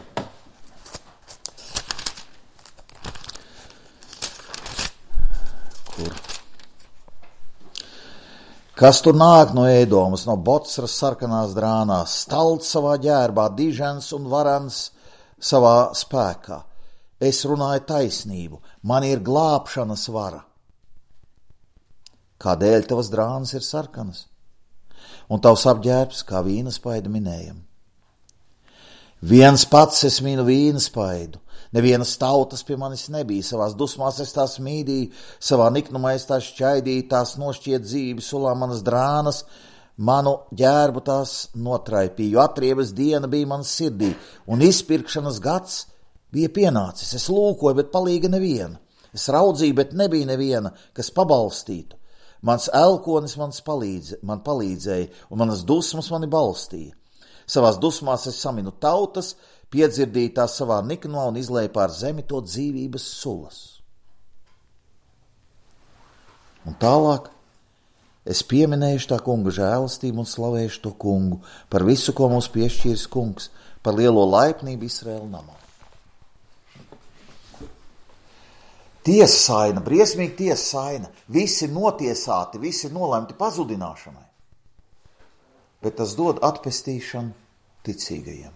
Kur? Kas tur nāk no Ēdomas, no Bocras sarkanās drānās, stalts savā ģērbā, dižens un varans savā spēkā. Es runāju taisnību, man ir glābšanas vara. Kādēļ tavas drānas ir sarkanas? Un tavs apģērbs kā vīnaspaida minējam. Viens pats es minu vīnaspaidu, nevienas tautas pie manis nebija, savās dusmās es tās mīdīju, savā niknumā es tās šķaidīju, tās nošķiet dzīvi, sulā manas drānas, manu ģērbu tās notraipīju, atriebas diena bija manas sirdī, un izpirkšanas gads bija pienācis. Es lūkoju, bet palīga neviena, es raudzīju, bet nebija neviena, kas pabalstītu. Mans elkonis man palīdzēja, un manas dusmas mani balstīja. Savās dusmās es saminu tautas, piedzirdīju tās savā niknumā un izlēju pār zemi to dzīvības sulas. Un tālāk es pieminēšu tā kunga žēlastību un slavēšu to kungu par visu, ko mums piešķīris kungs, par lielo laipnību Izraēla namā. Tiesaina, briesmīgi tiesaina, visi notiesāti, visi nolemti pazudināšanai. Bet tas dod atpestīšanu ticīgajiem.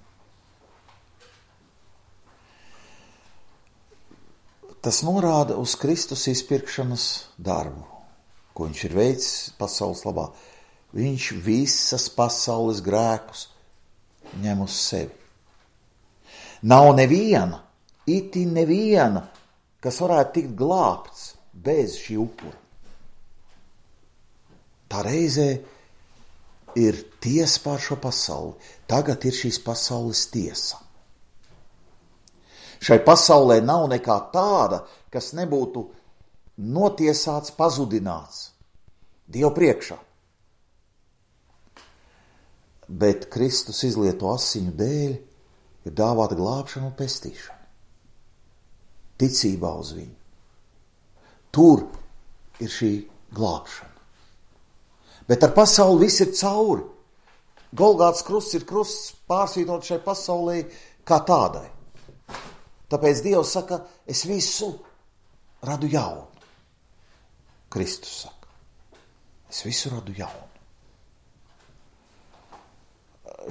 Tas norāda uz Kristus izpirkšanas darbu, ko viņš ir veicis pasaules labā. Viņš visas pasaules grēkus ņem uz sevi. Nav neviena, itin neviena, kas varētu tikt glābts bez šī upura. Tā reizē ir tiesa pār šo pasauli. Tagad ir šīs pasaules tiesa. Šai pasaulē nav nekā tāda, kas nebūtu notiesāts, pazudināts Dievu priekšā. Bet Kristus izlieto asiņu dēļ ir dāvāta glābšana un pestīšana. Ticībā uz viņu. Tur ir šī glābšana. Bet ar pasauli viss ir cauri. Golgātas krusts ir krusts pārsvītrot šai pasaulē kā tādai. Tāpēc Dievs saka, es visu radu jaunu. Kristus saka. Es visu radu jaunu.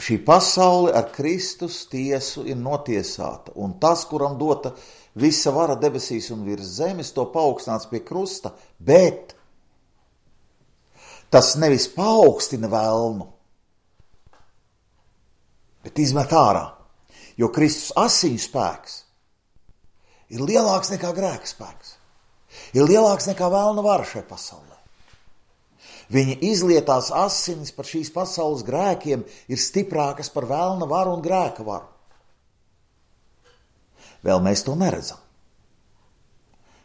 Šī pasaule ar Kristus tiesu ir notiesāta, un tas, kuram dota visa vara debesīs un virs zemes, to paaugstināts pie krusta, bet tas nevis paaugstina velnu, bet izmet ārā, jo Kristus asiņu spēks ir lielāks nekā grēka spēks, ir lielāks nekā velna vara šai pasaulē. Viņa izlietās asinis par šīs pasaules grēkiem ir stiprākas par velna varu un grēka varu. Vēl mēs to neredzam.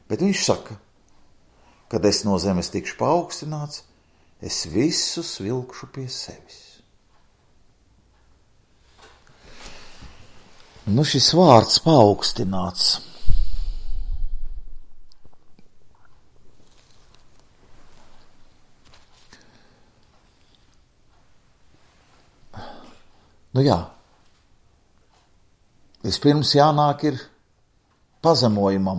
Bet viņš saka, kad es no zemes tikšu paaugstināts, es visus vilkšu pie sevis. Nu, šis vārds paaugstināts. Nu jā, vispirms jānāk ir pazemojumam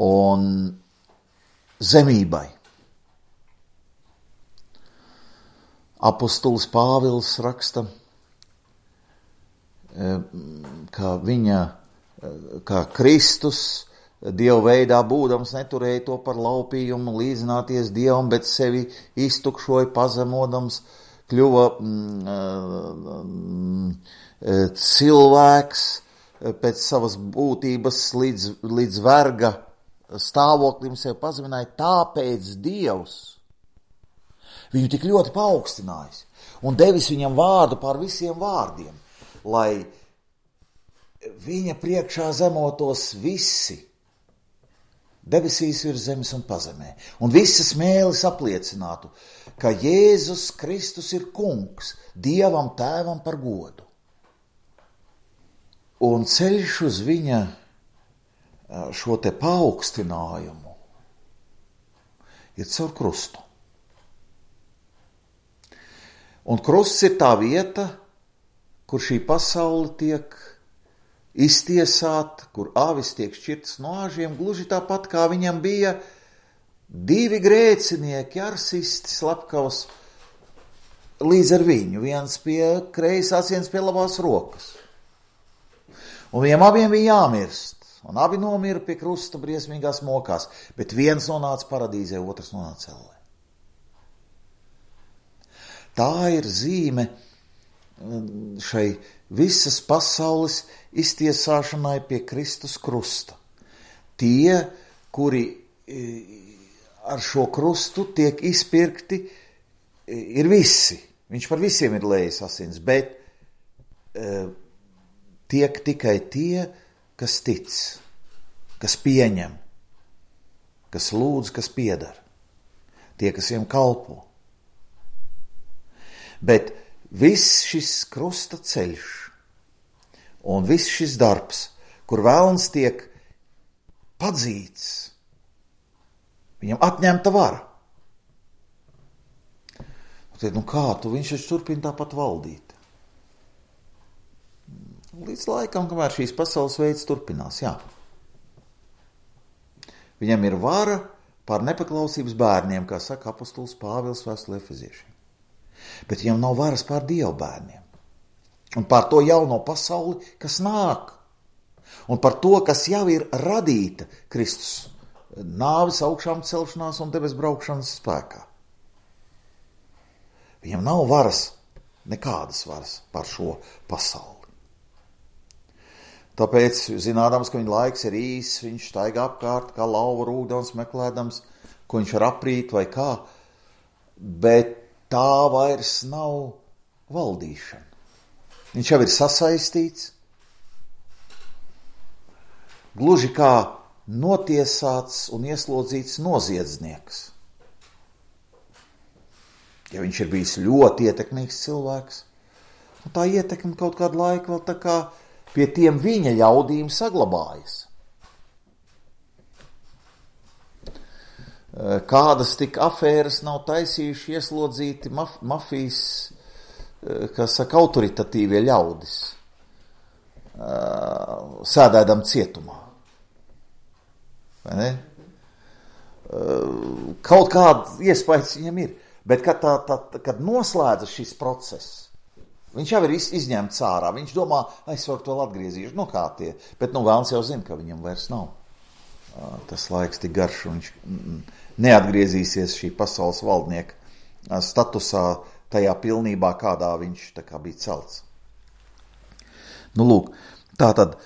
un zemībai. Apostols Pāvils raksta, ka Kristus Dieva veidā būdams neturēja to par laupījumu līdzināties Dievam, bet sevi iztukšoja pazemodams, kļuva cilvēks pēc savas būtības līdz verga stāvoklim sevi pazemināja, tāpēc Dievs viņu tik ļoti paaugstinājis un devis viņam vārdu pār visiem vārdiem, lai viņa priekšā zemotos visi debesīs virs zemes un pazemē, un visas mēlis apliecinātu, ka Jēzus Kristus ir kungs, Dievam tēvam par godu. Un ceļš uz viņa šo te paaugstinājumu ir caur krustu. Un krusts ir tā vieta, kur šī pasaule tiek iztiesāta, kur avis tiek šķirtas no āžiem, gluži tāpat kā viņam bija divi grēcinieki, arsisti, slepkavs, līdz ar viņu, viens pie kreisās, viens pie labās rokas. Un viņiem abiem bija jāmirst, un abi nomira pie krusta briesmīgās mokās, bet viens nonāca paradīzē, otrs nonāca ellē. Tā ir zīme šai visas pasaules iztiesāšanai pie Kristus krusta. Tie, kuri ar šo krustu tiek izpirkti, ir visi. Viņš par visiem ir lējis asins, bet tiek tikai tie, kas tic, kas pieņem, kas lūdz, kas piedara. Tie, kas viņam kalpo. Bet viss šis krusta ceļš un viss šis darbs, kur vēlns tiek padzīts, viņam atņemta vara. Nu kā tu, viņš taču turpina tāpat valdīt. Līdz laikam, kamēr šīs pasaules veids turpinās, jā. Viņam ir vara pār nepaklausības bērniem, kā saka apostols Pāvils vēstulē Efeziešiem. Bet viņam nav varas pār Dievu bērniem. Un par to jauno pasauli, kas nāk. Un par to, kas jau ir radīta Kristus nāves, augšām celšanās un debes braukšanas spēkā. Viņam nav varas, nekādas varas par šo pasauli. Tāpēc, zinādams, ka viņa laiks ir īss, viņš staigā apkārt, kā lauva rūgdams, meklēdams, ko viņš var aprīt vai kā, bet tā vairs nav valdīšana. Viņš jau ir sasaistīts, gluži kā notiesāts un ieslodzīts noziedznieks. Ja viņš ir bijis ļoti ietekmīgs cilvēks, tā ietekme kaut kādu laiku vēl tā kā pie tiem viņa ļaudīm saglabājas. Kādas tik afēras nav taisījuši ieslodzīti mafijas, kas saka, autoritatīvie ļaudis, sēdēdam cietumā. vai ne? Kaut kāda iespējas viņam ir, bet kad noslēdzas šis process, viņš jau ir izņemts ārā, viņš domā, es varu to atgriezīšu, kā tie, bet vēlns jau zina, ka viņam vairs nav. Tas laiks tik garš, un viņš neatgriezīsies šī pasaules valdnieka statusā tajā pilnībā, kādā viņš tā kā bija celts. Lūk, tātad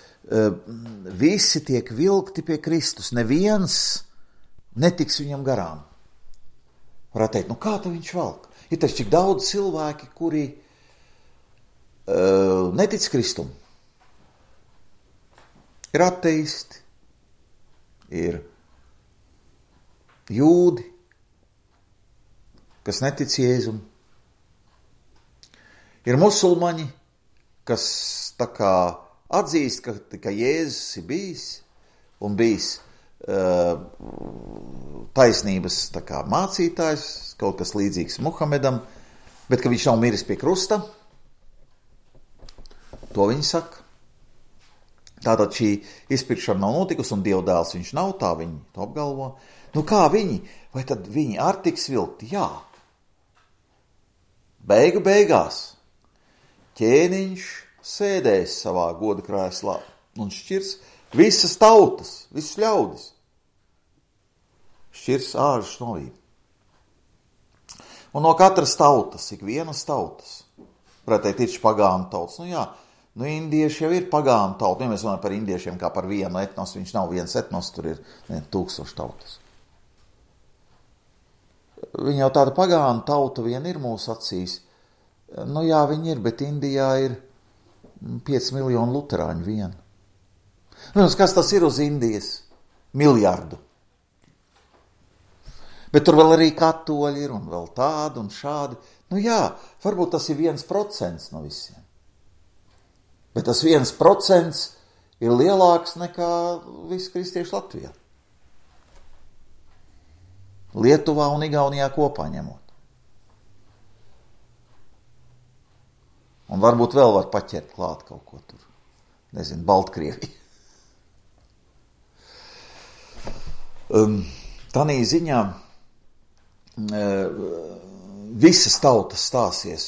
visi tiek vilkti pie Kristus, neviens netiks viņam garām. Varētu teikt, kā tu viņš velk? Ir taču tik daudz cilvēki, kuri netic Kristum. Ir ateisti, ir jūdi, kas netic Jēzum. Ir musulmaņi, kas tā kā atzīst, ka Jēzus ir bijis un bijis taisnības tā kā mācītājs, kaut kas līdzīgs Muhamedam, bet ka viņš nav miris pie krusta. To viņi saka. Tātad šī izpirkšana nav notikusi un Dievdēls viņš nav, tā viņi to apgalvo. Kā viņi? Vai tad viņi ar tiks vilkti? Jā. Beigās ķēniņš sēdēs savā goda krēslā un šķirs visas tautas, visus ļaudis. Šķirs āžus no vīm. Un no katras tautas, ikvienas tautas, varētu teikt, ir pagānu tautas. Indieši jau ir pagānu tauta. Ja mēs runājam par indiešiem kā par vienu etnosu, viņš nav viens etnos, tur ir 1000 tautas. Viņa jau tāda pagānu tauta vien ir mūsu acīs. Viņi ir, bet Indijā ir 5 miljoni luterāņu vien. Kas tas ir uz Indijas? Miljardu. Bet tur vēl arī katoļi ir un vēl tādi un šādi. Varbūt tas ir 1% no visiem. Bet tas 1% ir lielāks nekā visi kristieši Latvijā. Lietuvā un Igaunijā kopā ņemot. Un varbūt vēl var paķert klāt kaut ko tur. Nezinu, Baltkrievija. Tanī ziņā visas tautas stāsies,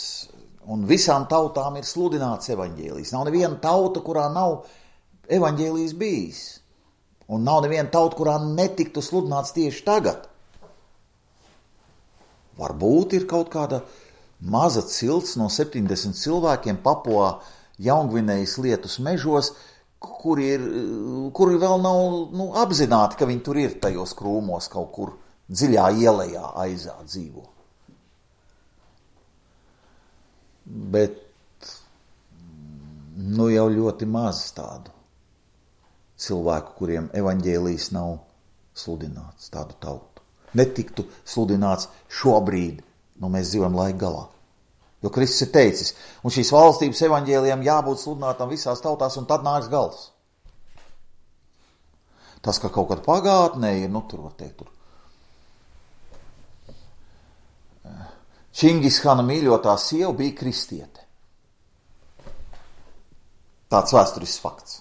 un visām tautām ir sludināts evaņģēlijs. Nav neviena tauta, kurā nav evaņģēlijs bijis. Un nav neviena tauta, kurā netiktu sludināts tieši tagad. Varbūt ir kaut kāda maza cilts no 70 cilvēkiem Papuā Jaungvinējas Lietus mežos, kuri vēl nav apzināti, ka viņi tur ir tajos krūmos kaut kur dziļā ielejā aizā dzīvo. Bet jau ļoti maz tādu cilvēku, kuriem evaņģēlijs nav sludināts, tādu tautu. Netiktu sludināts šobrīd, mēs dzīvojam laika galā. Jo Kristus ir teicis, un šīs valstības evaņģēlijam jābūt sludinātam visās tautās, un tad nāks gals. Tas, ka kaut kad pagātnē ir, tur var teikt, Čingishana mīļotā sieva bija kristiete. Tāds vēsturisks fakts.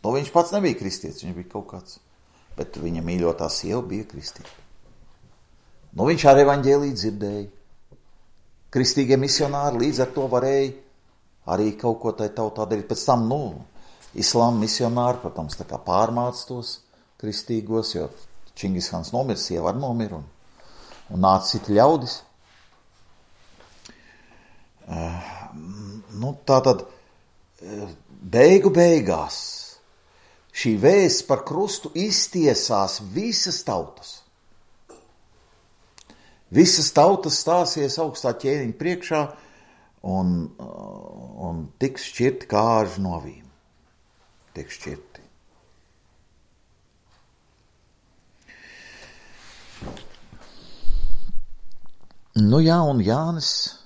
Viņš pats nebija kristietis, viņš bija kaut kāds, bet viņa mīļotā sieva bija kristiete. Viņš ar evaņģēliju dzirdēja. Kristīgie misionāri līdz ar to varēja arī kaut ko tai tautā darīt. Pēc tam, islāma misionāri, protams, tā kā pārmāca tos kristīgos, jo Čingishans nomira, sieva arī nomira, un nāca citi ļaudis. Tātad beigās šī vēsts par krustu iztiesās visas tautas. Visas tautas stāsies augstā ķēniņa priekšā un tiks šķirti kā āži no avīm. Tiks šķirti. Un Jānis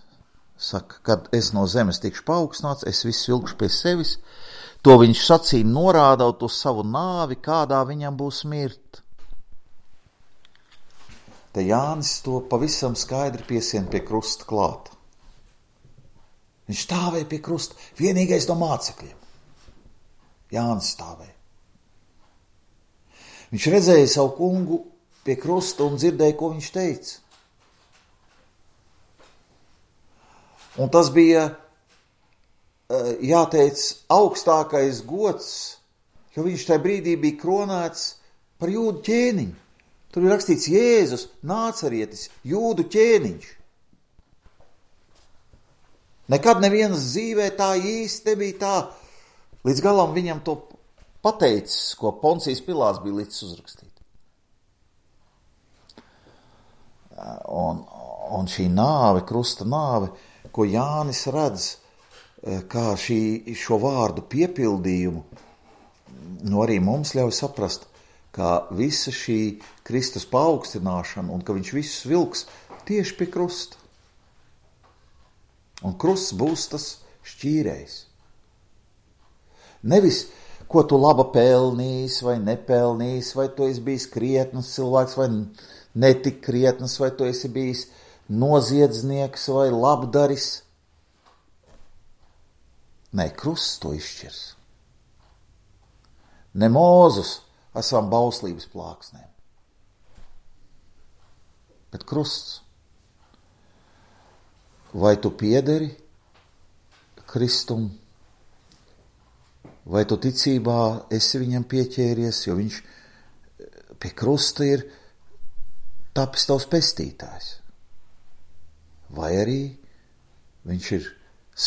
saka, kad es no zemes tikšu paaugstināts, es visu vilkšu pie sevis. To viņš sacīja norādot uz savu nāvi, kādā viņam būs mirt. Te Jānis to pavisam skaidri piesien pie krusta klāta. Viņš stāvēja pie krusta, vienīgais no mācekļiem. Jānis stāvēja. Viņš redzēja savu kungu pie krusta un dzirdēja, ko viņš teica. Un tas bija, jāteic, augstākais gods, jo viņš tajā brīdī bija kronēts par jūdu ķēniņu. Tur ir rakstīts Jēzus, Nācarietis, jūdu ķēniņš. Nekad nevienas dzīvē tā īsti nebija tā. Līdz galam viņam to pateicis, ko Poncijas Pilāts bija licis uzrakstīt. Un šī nāve, krusta nāve, ko Jānis redz, kā šo vārdu piepildījumu, arī mums ļauj saprast, kā visa šī Kristus paaugstināšana un ka viņš visus vilks tieši pie krusta. Un krusts būs tas šķīrējs. Nevis, ko tu laba pelnījis vai nepelnījis, vai tu esi bijis krietns cilvēks vai netik krietns, vai tu esi bijis noziedznieks vai labdaris. Nē, krusts to izšķirs. Ne Mūzus ar savām bauslības plāksnēm, bet krusts. Vai tu piederi Kristum, vai tu ticībā esi viņam pieķēries, jo viņš pie krusta ir tapis tavs pestītājs. Vai arī viņš ir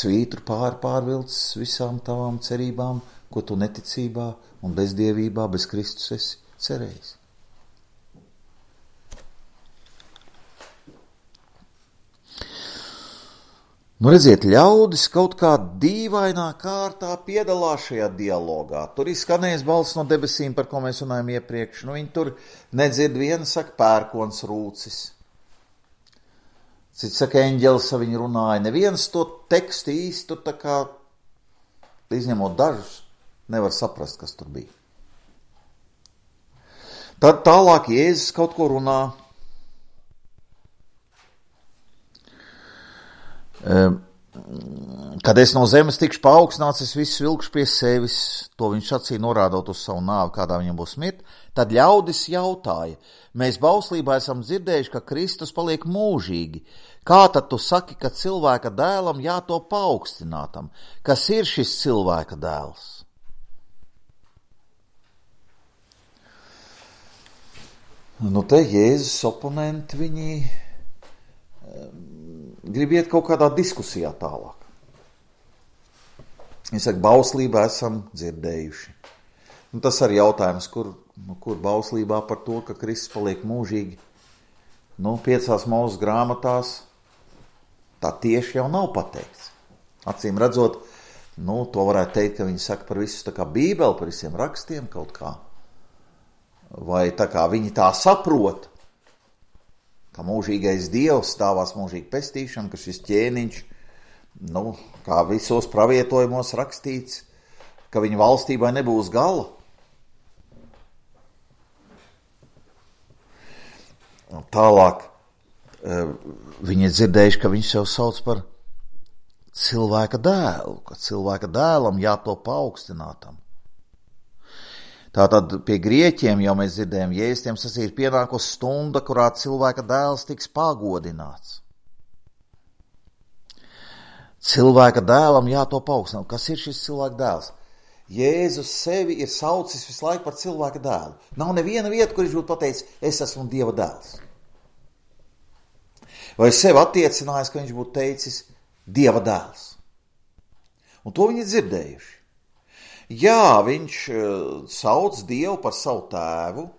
svītru pārvilcis visām tavām cerībām, ko tu neticībā un bezdievībā, bez Kristus esi cerējis. Nu, redziet, ļaudis kaut kā dīvainā kārtā piedalās šajā dialogā. Tur izskanējis balss no debesīm, par ko mēs runājam iepriekš. Nu, viņi tur nedzird, viena saka pērkons rūcis. Cits saka eņģelis, viņi runāja. Neviens to tekstu īsti tur tā kā, izņemot dažus, nevar saprast, kas tur bija. Tad tālāk Jēzus kaut ko runā. Kad es no zemes tikšu paaugstināts, es visus vilkšu pie sevis, to viņš sacīja norādot uz savu nāvi, kādā viņam būs mirt. Tad ļaudis jautāja, mēs bauslībā esam dzirdējuši, ka Kristus paliek mūžīgi. Kā tad tu saki, ka cilvēka dēlam jātop paaugstinātam? Kas ir šis cilvēka dēls? Nu te Jēzus oponenti viņi grib iet kaut kādā diskusijā tālāk. Viņi saka, bauslībā esam dzirdējuši. Un tas arī jautājums, kur bauslībā par to, ka Kristus paliek mūžīgi. 5 Mūzes grāmatās tā tieši jau nav pateikts. Acīm redzot, to varētu teikt, ka viņi saka par visu tā kā Bībeli, par visiem rakstiem kaut kā. Vai tā kā viņi tā saprot, ka mūžīgais Dievs stāvās mūžīgi pestīšana, ka šis ķēniņš, kā visos pravietojumos rakstīts, ka viņa valstībai nebūs gala. Un tālāk viņi ir dzirdējuši, ka viņš sev sauc par cilvēka dēlu, ka cilvēka dēlam jātop paaugstinātam. Tātad pie grieķiem jau mēs dzirdējam, Jēzustiem sacīja, pienākusi stunda, kurā cilvēka dēls tiks pagodināts. Cilvēka dēlam jātop paaugstināt. Kas ir šis cilvēka dēls? Jēzus sevi ir saucis visu laiku par cilvēka dēlu. Nav neviena vieta, kur viņš būtu pateicis, es esmu Dieva dēls. Vai sevi attiecinājis, ka viņš būtu teicis Dieva dēls. Un to viņi dzirdējuši. Jā, viņš sauc Dievu par savu tēvu.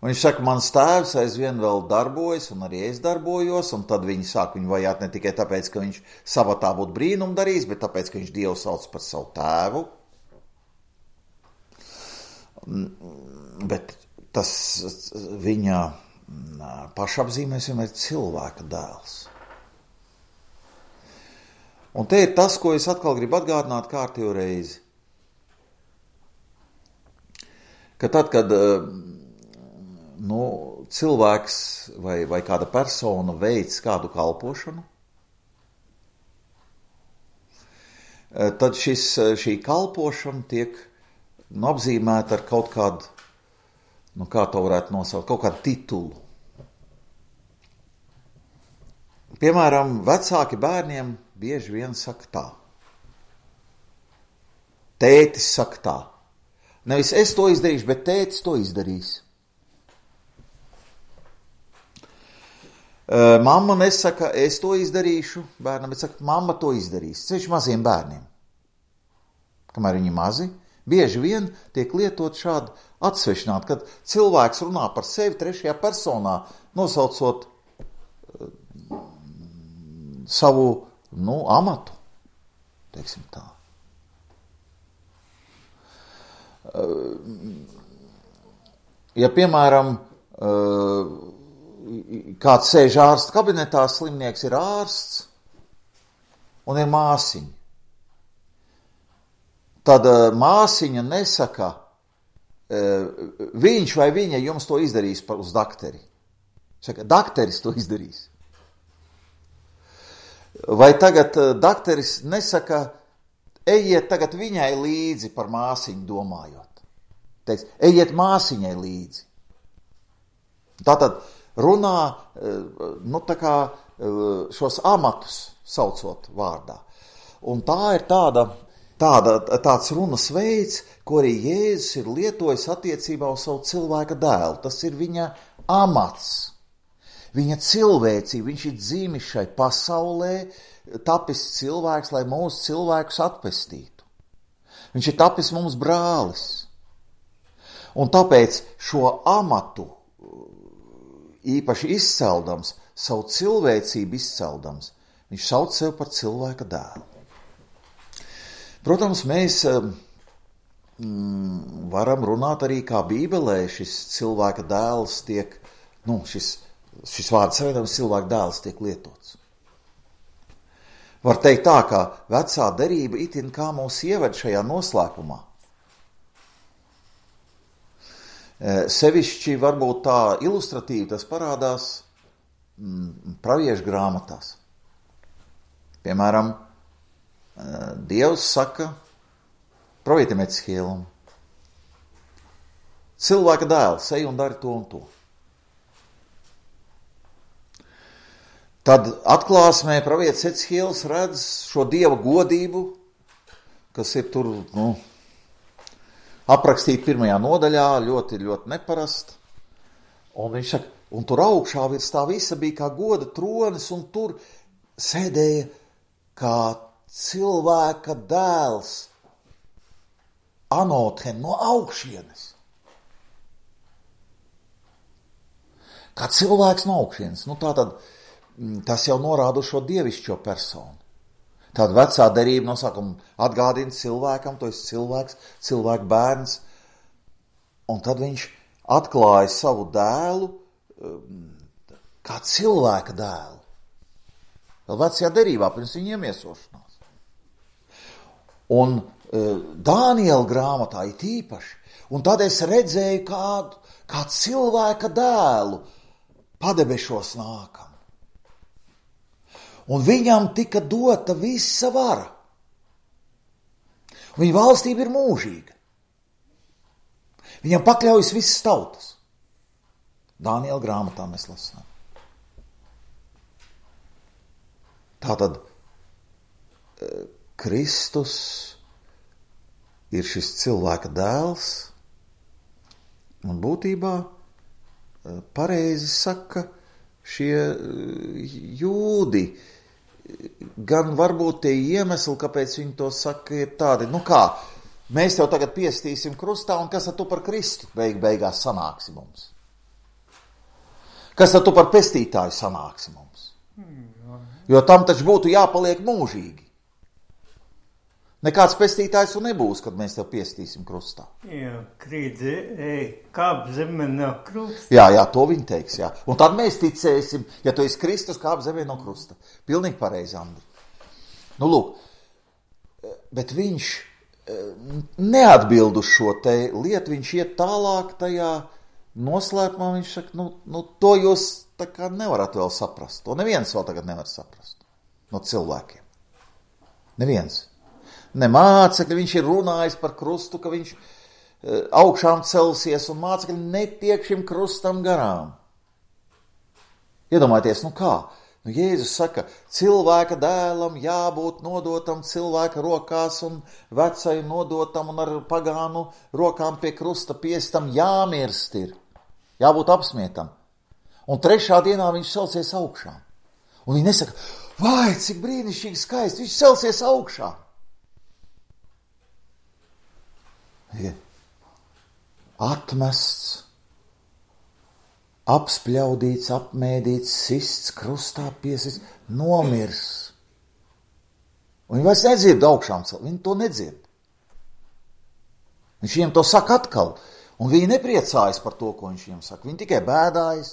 Un viņš saka, mans tēvs aizvien vēl darbojas, un arī es darbojos, un tad viņi sāk viņu vajāt ne tikai tāpēc, ka viņš sabatā būtu brīnumu darījis, bet tāpēc, ka viņš Dievu sauc par savu tēvu. Bet tas viņa pašapzīmēs vienmēr ir cilvēka dēls. Un te ir tas, ko es atkal gribu atgādināt kārtējo reizi. Ka tad, kad cilvēks vai kāda persona veic kādu kalpošanu, tad šī kalpošana tiek apzīmēta ar kaut kādu, kā to varētu nosaukt, kaut kādu titulu. Piemēram, vecāki bērniem bieži vien saka tā. Tētis saka tā. Nevis es to izdarīšu, bet tētis to izdarīs. Mamma nesaka, es to izdarīšu bērnam, bet saka, mamma to izdarīs. Ceļš maziem bērniem. Kamēr viņi mazi, bieži vien tiek lietot šādi atsvešināti, kad cilvēks runā par sevi trešajā personā, nosaucot savu, amatu, teiksim tā. Ja, piemēram, kāds sēž ārsta kabinetā, slimnieks ir ārsts un ir māsiņa. Tad māsiņa nesaka, viņš vai viņa jums to izdarīs uz dakteri. Saka, dakteris to izdarīs. Vai tagad dakteris nesaka, ejiet tagad viņai līdzi par māsiņu domājot. Teiks, ejiet māsiņai līdzi. Tātad runā, šos amatus saucot vārdā. Un tā ir tāds runas veids, ko arī Jēzus ir lietojis attiecībā uz savu cilvēka dēlu. Tas ir viņa amats, viņa cilvēcība. Viņš ir dzimis šai pasaulē, tapis cilvēks, lai mūsu cilvēkus atpestītu. Viņš ir tapis mums brālis. Un tāpēc šo amatu īpaši izceldams, savu cilvēcību izceldams, viņš sauc sev par cilvēka dēlu. Protams, mēs varam runāt arī kā Bībelē šis cilvēka dēls tiek, šis vārds savienojums cilvēka dēls tiek lietots. Var teikt tā, ka vecā derība itin kā mūs ieved šajā noslēpumā. Sevišķi varbūt tā ilustratīvi tas parādās praviešu grāmatās. Piemēram, Dievs saka pravietim Ecihielam, cilvēka dēls, ej un dari to un to. Tad atklāsmē pravietis Ecihiels redz šo Dieva godību, kas ir tur, aprakstīt 1. nodaļā, ļoti, ļoti neparasti. Un viņš saka, un tur augšā virs tā visa bija kā goda tronis, un tur sēdēja kā cilvēka dēls, anothen no augšienes. Kā cilvēks no augšienes. Tātad tas jau norāda uz šo dievišķo personu. Tāda vecā derība no sākuma atgādina cilvēkam, to esi cilvēks, cilvēka bērns, un tad viņš atklāja savu dēlu kā cilvēka dēlu. Vēl vecajā derībā pirms viņa iemiesošanās. Un Dāniela grāmatā ir tīpaši, un tad es redzēju kā cilvēka dēlu padebešos nākam. Un viņam tika dota visa vara. Viņa valstība ir mūžīga. Viņam pakļaujas visas tautas. Dāniela grāmatā mēs lasām. Tātad Kristus ir šis cilvēka dēls, un būtībā pareizi saka šie jūdi, gan varbūt tie iemesli, kāpēc viņi to saka, ir tādi, mēs tev tagad piestīsim krustā, un kas tad tu par Kristu beigās sanāksi mums? Kas tad tu par pestītāju sanāksi mums? Jo tam taču būtu jāpaliek mūžīgi. Nekāds pestītājs tu nebūs, kad mēs tev piestīsim krustā. Jā, krīdzi, kāp zemē no krusta. Jā, to viņi teiks, jā. Un tad mēs ticēsim, ja tu esi Kristus, kāp zemē no krusta. Pilnīgi pareizi, Andri. Lūk, bet viņš neatbild uz šo te lietu, viņš iet tālāk tajā noslēpumā, viņš saka, to jūs tā kā nevarat vēl saprast. To neviens vēl tagad nevar saprast no cilvēkiem. Neviens. Ne mācekļi, viņš ir runājis par krustu, ka viņš augšām celsies un mācekļi netiek šim krustam garām. Iedomājieties, kā? Jēzus saka, cilvēka dēlam jābūt nodotam cilvēka rokās un vecai nodotam un ar pagānu rokām pie krusta piestam jāmirst ir. Jābūt apsmietam. Un 3. dienā viņš celsies augšā. Un viņi nesaka, vai, cik brīnišķīgi skaisti, viņš celsies augšā. Atmests, apspļaudīts, apmēdīts, sists, krustā piesis, nomirs. Un viņi vairs nedzird augšām celt, viņi to nedzird. Viņš viņiem to saka atkal, un viņi nepriecājas par to, ko viņš viņiem saka. Viņi tikai bēdājas,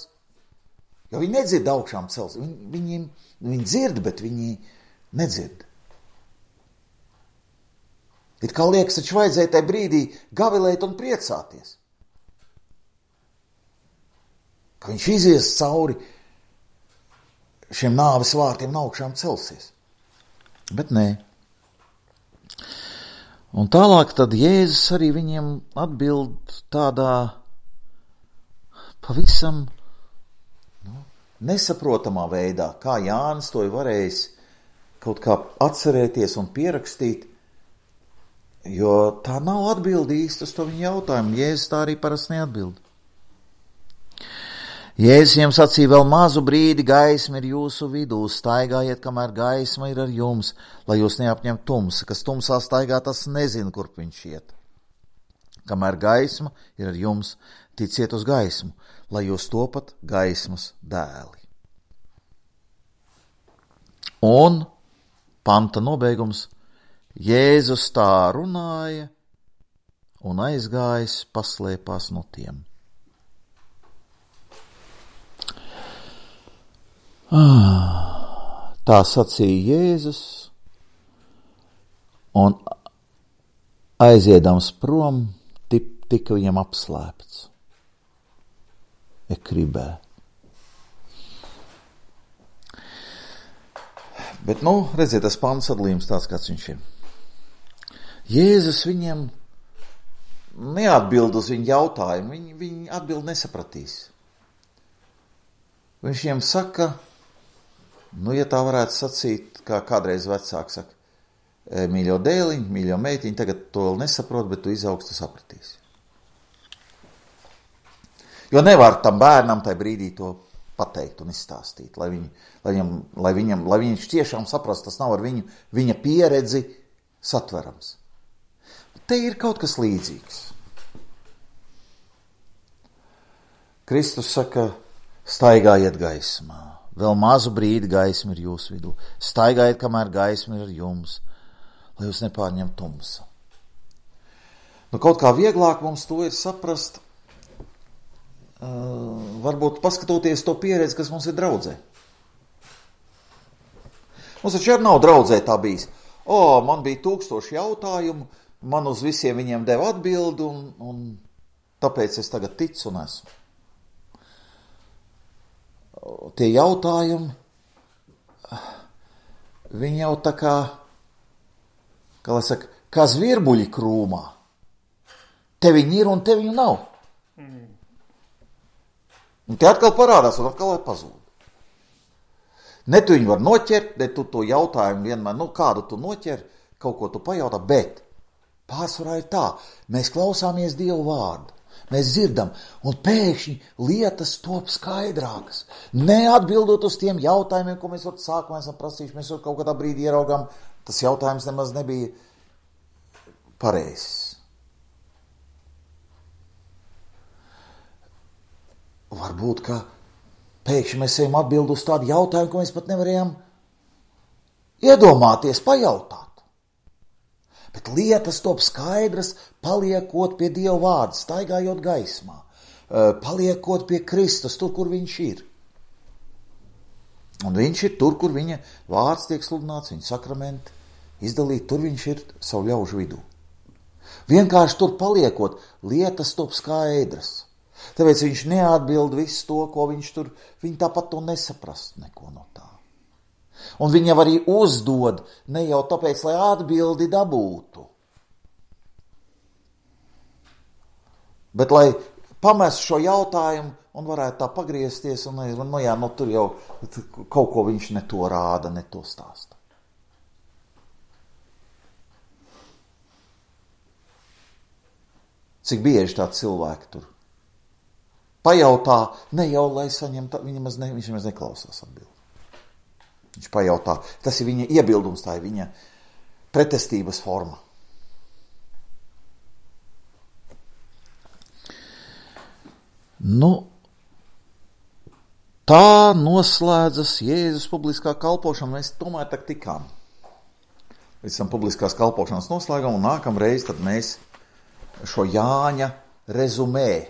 jo viņi nedzird augšām celt. Viņi dzird, bet viņi nedzird. It kā liekas, taču vajadzēja tajā brīdī gavilēt un priecāties. Ka viņš izies cauri šiem nāves vārtiem un augšām celsies. Bet nē. Un tālāk tad Jēzus arī viņiem atbild tādā pavisam nesaprotamā veidā, kā Jānis to ir varējis kaut kā atcerēties un pierakstīt, jo tā nav atbildi īsti uz to viņa jautājumu. Jēzus tā arī parasti neatbild. Jēzus jiem sacīja, vēl mazu brīdi gaisma ir jūsu vidū, staigājiet, kamēr gaisma ir ar jums, lai jūs neapņem tumsa, kas tumsā staigā, tas nezina, kurp viņš iet. Kamēr gaisma ir ar jums, ticiet uz gaismu, lai jūs topat gaismas dēli. Un panta nobeigums, Jēzus tā runāja un aizgājis paslēpās no tiem. Tā sacīja Jēzus, un aiziedams prom, tika viņam apslēpts ekribē. Bet, redziet, tas pants sadalījums tāds, kāds viņš ir. Jēzus viņiem neatbild uz viņu jautājumu, viņi atbild nesapratīs. Viņš viņiem saka, ja tā varētu sacīt, kā kādreiz vecāki saka, mīļo dēliņ, mīļo meitiņ, tagad to vēl nesaprot, bet tu izaugs, tu sapratīsi. Jo nevar tam bērnam tajā brīdī to pateikt un izstāstīt, lai viņš tiešām saprast, tas nav ar viņa pieredzi satverams. Te ir kaut kas līdzīgs. Kristus saka, staigājiet gaismā. Vēl mazu brīdi gaisma ir jūsu vidū. Staigājiet, kamēr gaisma ir ar jums, lai jūs nepārņem tumsa. Kaut kā vieglāk mums to ir saprast, varbūt paskatoties to pieredzi, kas mums ir draudzē. Mums taču arī nav draudzē tā bijis. Man bija 1000 jautājumu, man uz visiem viņiem deva atbildi, un tāpēc es tagad ticu un esmu. Tie jautājumi, viņi jau tā kā lai saka, kā zvirbuļi krūmā. Te viņi ir un te viņu nav. Un te atkal parādās un atkal pazūd. Ne tu viņu var noķert, ne tu to jautājumu vienmēr, kādu tu noķer, kaut ko tu pajautā, bet pārsvarā ir tā, mēs klausāmies Dievu vārdu. Mēs dzirdam, un pēkšņi lietas top skaidrākas. Neatbildot uz tiem jautājumiem, ko mēs sākumā esam prasījuši, mēs kaut kādā brīdī ieraugām, tas jautājums nemaz nebija pareizs. Varbūt, ka pēkšņi mēs ejam atbildi uz tādu jautājumu, ko mēs pat nevarējām iedomāties, pajautāt. Bet lietas top skaidras, paliekot pie Dieva vārda, staigājot gaismā, paliekot pie Kristus, tur, kur viņš ir. Un viņš ir tur, kur viņa vārds tiek sludināts, viņa sakramenti izdalīt, tur viņš ir savu ļaužu vidū. Vienkārši tur paliekot, lietas top skaidras. Tāpēc viņš neatbild visu to, ko viņš tur, viņi tāpat to nesaprast neko no tā. Un viņa arī uzdod, ne jau tāpēc, lai atbildi dabūtu. Bet lai pamestu šo jautājumu un varētu tā pagriezties, un tur jau kaut ko viņš ne to rāda, ne to stāsta. Cik bieži tā cilvēki tur pajautā, ne jau, lai saņemtu, viņš maz neklausās atbildi. Viņš pajautā, tas ir viņa iebildums, tā ir viņa pretestības forma. Tā noslēdzas Jēzus publiskā kalpošana. Mēs tomēr tak tikām līdz tam publiskās kalpošanas noslēgam, un nākamreiz tad mēs šo Jāņa rezumē,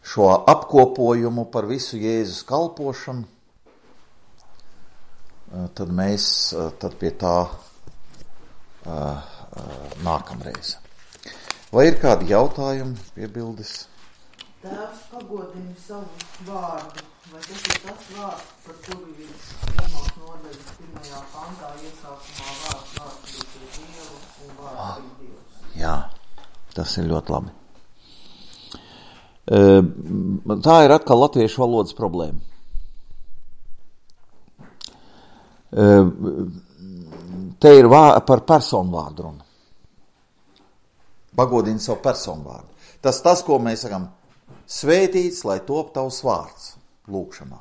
šo apkopojumu par visu Jēzus kalpošanu, tad mēs pie tā nākamreiz. Vai ir kādi jautājumi, piebildes? Tēvs pagodina savu vārdu, vai tas ir tas vārds, par kuru viņš pirmās nodaļas 1. pantā iesākumā vārds bija pie Dievu un vārds bija Dievs? Jā, tas ir ļoti labi. Tā ir atkal latviešu valodas problēma. Te ir par personu vārdu runa. Pagodina savu personu vārdu. Tas, ko mēs sakam, svētīts, lai top tavs vārds lūkšanā.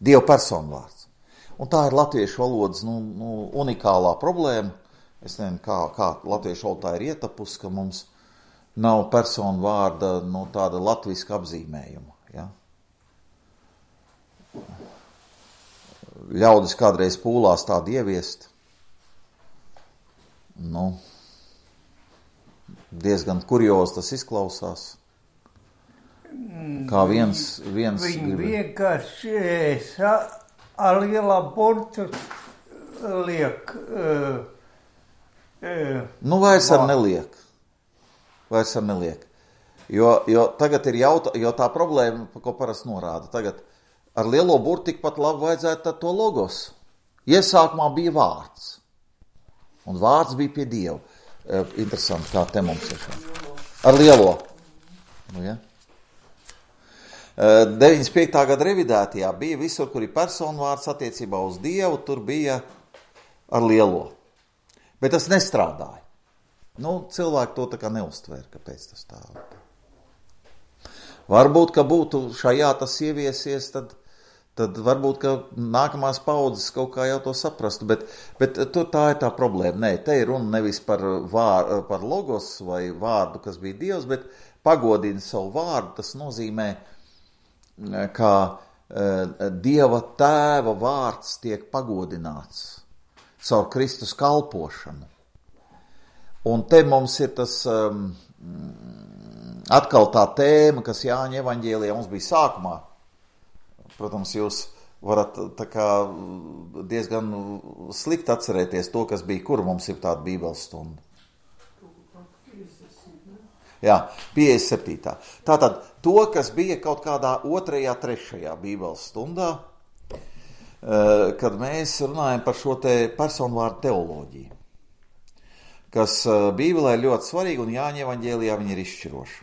Dieva personu vārds. Un tā ir latviešu valodas unikālā problēma. Es nezinu, kā latviešu valodā ir ietapusi, ka mums nav personu vārda tāda latviska apzīmējuma. Ja? Ļaudis kādreiz pūlās tādu ieviest. Diezgan kuriozi tas izklausās. Kā viens viņi vienkārši ar lielā burtu liek. Vairs ar neliek. Jo tagad ir jo tā problēma, ko parasti norāda. Tagad ar lielo burtu tikpat labi vajadzētu to logos. Iesākumā bija vārds. Un vārds bija pie Dieva. Interesanti, kā te mums ir šā. Ar lielo. Ja? 95. gada revidētajā bija visur, kur ir personu vārds attiecībā uz Dievu, tur bija ar lielo. Bet tas nestrādāja. Cilvēki to tā kā neuztvēra, kāpēc tas tā. Varbūt, ka būtu šajā tas ieviesies, tad varbūt, ka nākamās paudzes kaut kā jau to saprastu, bet tā ir tā problēma. Nē, te ir runa nevis par logos vai vārdu, kas bija Dievs, bet pagodina savu vārdu. Tas nozīmē, ka Dieva tēva vārds tiek pagodināts caur Kristus kalpošanu. Un te mums ir tas atkal tā tēma, kas Jāņa evaņģēlijā mums bija sākumā. Protams, jūs varat tā kā diezgan slikti atcerēties to, kas bija, kur mums ir tāda bībeles stunda. Jā, 57. Tātad to, kas bija kaut kādā 2., 3. bībeles stundā, kad mēs runājam par šo te personvārdu teoloģiju, kas bībelē ir ļoti svarīga un Jāņa evaņģēlijā viņa ir izšķiroša.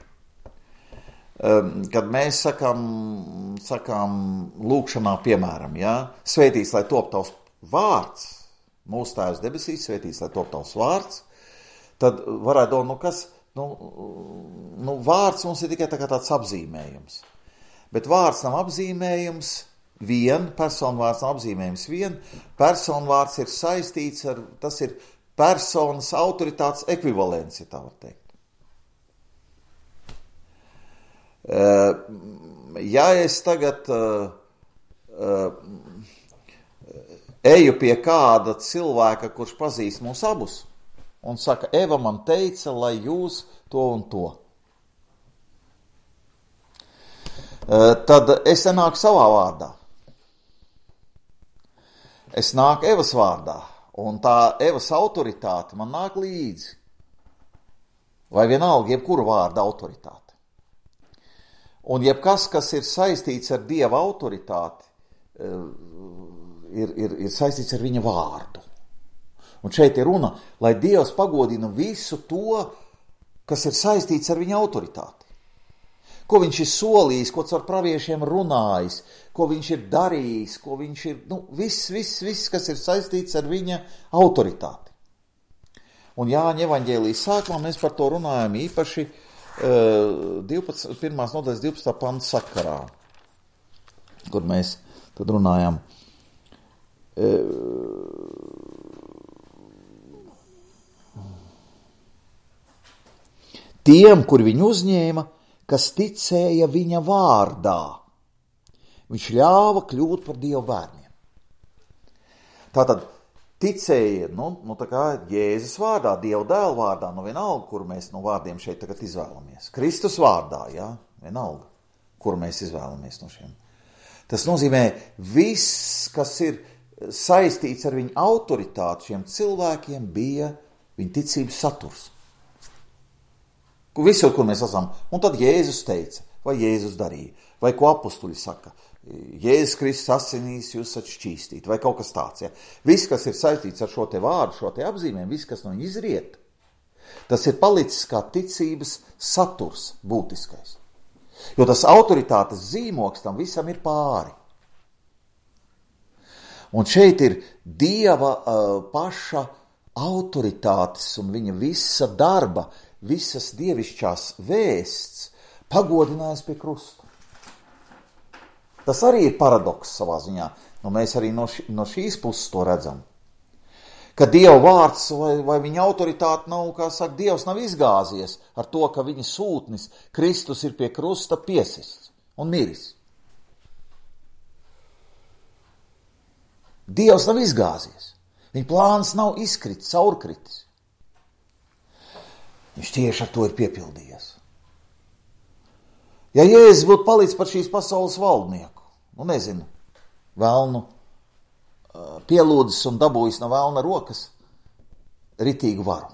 Kad mēs sakām lūkšanā, piemēram, svētīts, lai top tavs vārds, mūsu Tēvs debesīs, svētīts, lai top tavs vārds, tad varētu domāt, vārds mums ir tikai tāds apzīmējums. Bet vārds nav apzīmējums vien, personvārds nav apzīmējums vien, personvārds ir saistīts ar, tas ir personas autoritātes ekvivalents, ja tā var teikt. Ja es tagad eju pie kāda cilvēka, kurš pazīst mūs abus, un saka, Eva man teica, lai jūs to un to, tad es nenāku savā vārdā. Es nāku Evas vārdā, un tā Evas autoritāte man nāk līdzi. Vai vienalga, jebkura vārda autoritāte. Un jebkas, kas ir saistīts ar Dieva autoritāti, ir saistīts ar viņa vārdu. Un šeit ir runa, lai Dievs pagodina visu to, kas ir saistīts ar viņa autoritāti. Ko viņš ir solījis, ko caur praviešiem runājis, ko viņš ir darījis, ko viņš ir, viss, kas ir saistīts ar viņa autoritāti. Un Jāņa evaņģēlijas sākumā mēs par to runājam īpaši 1. nodaļas 12. panta sakarā, kur mēs tad runājam. Tiem, kur viņu uzņēma, kas ticēja viņa vārdā, viņš ļāva kļūt par Dieva bērniem. Tātad ticēja, tā kā Jēzus vārdā, Dieva dēla vārdā, vienalga, kur mēs no vārdiem šeit tagad izvēlamies. Kristus vārdā, vienalga, kur mēs izvēlamies no šiem. Tas nozīmē, viss, kas ir saistīts ar viņu autoritāti, šiem cilvēkiem bija viņa ticības saturs. Visur, kur mēs esam. Un tad Jēzus teica, vai Jēzus darīja, vai ko apustuļi saka. Jēzus Kristus asinīs jūs esat šķīstīti, vai kaut kas tāds. Ja? Viss, kas ir saistīts ar šo te vārdu, šo te apzīmēm, viss, kas no viņa izriet, tas ir palicis kā ticības saturs būtiskais. Jo tas autoritātes zīmoks tam visam ir pāri. Un šeit ir Dieva paša autoritātes un viņa visa darba, visas dievišķās vēsts pagodinājās pie krusta. Tas arī ir paradoks savā ziņā. Mēs arī no šīs puses to redzam. Ka Dieva vārds vai viņa autoritāte nav, kā saka, Dievs nav izgāzies ar to, ka viņa sūtnis Kristus ir pie krusta piesists un miris. Dievs nav izgāzies. Viņa plāns nav izkritis, caurkritis. Viņš tieši ar to ir piepildījies. Ja Jēzus būtu palicis par šīs pasaules valdnieku, velnu pielūdzis un dabūjis no velna rokas ritīgu varu.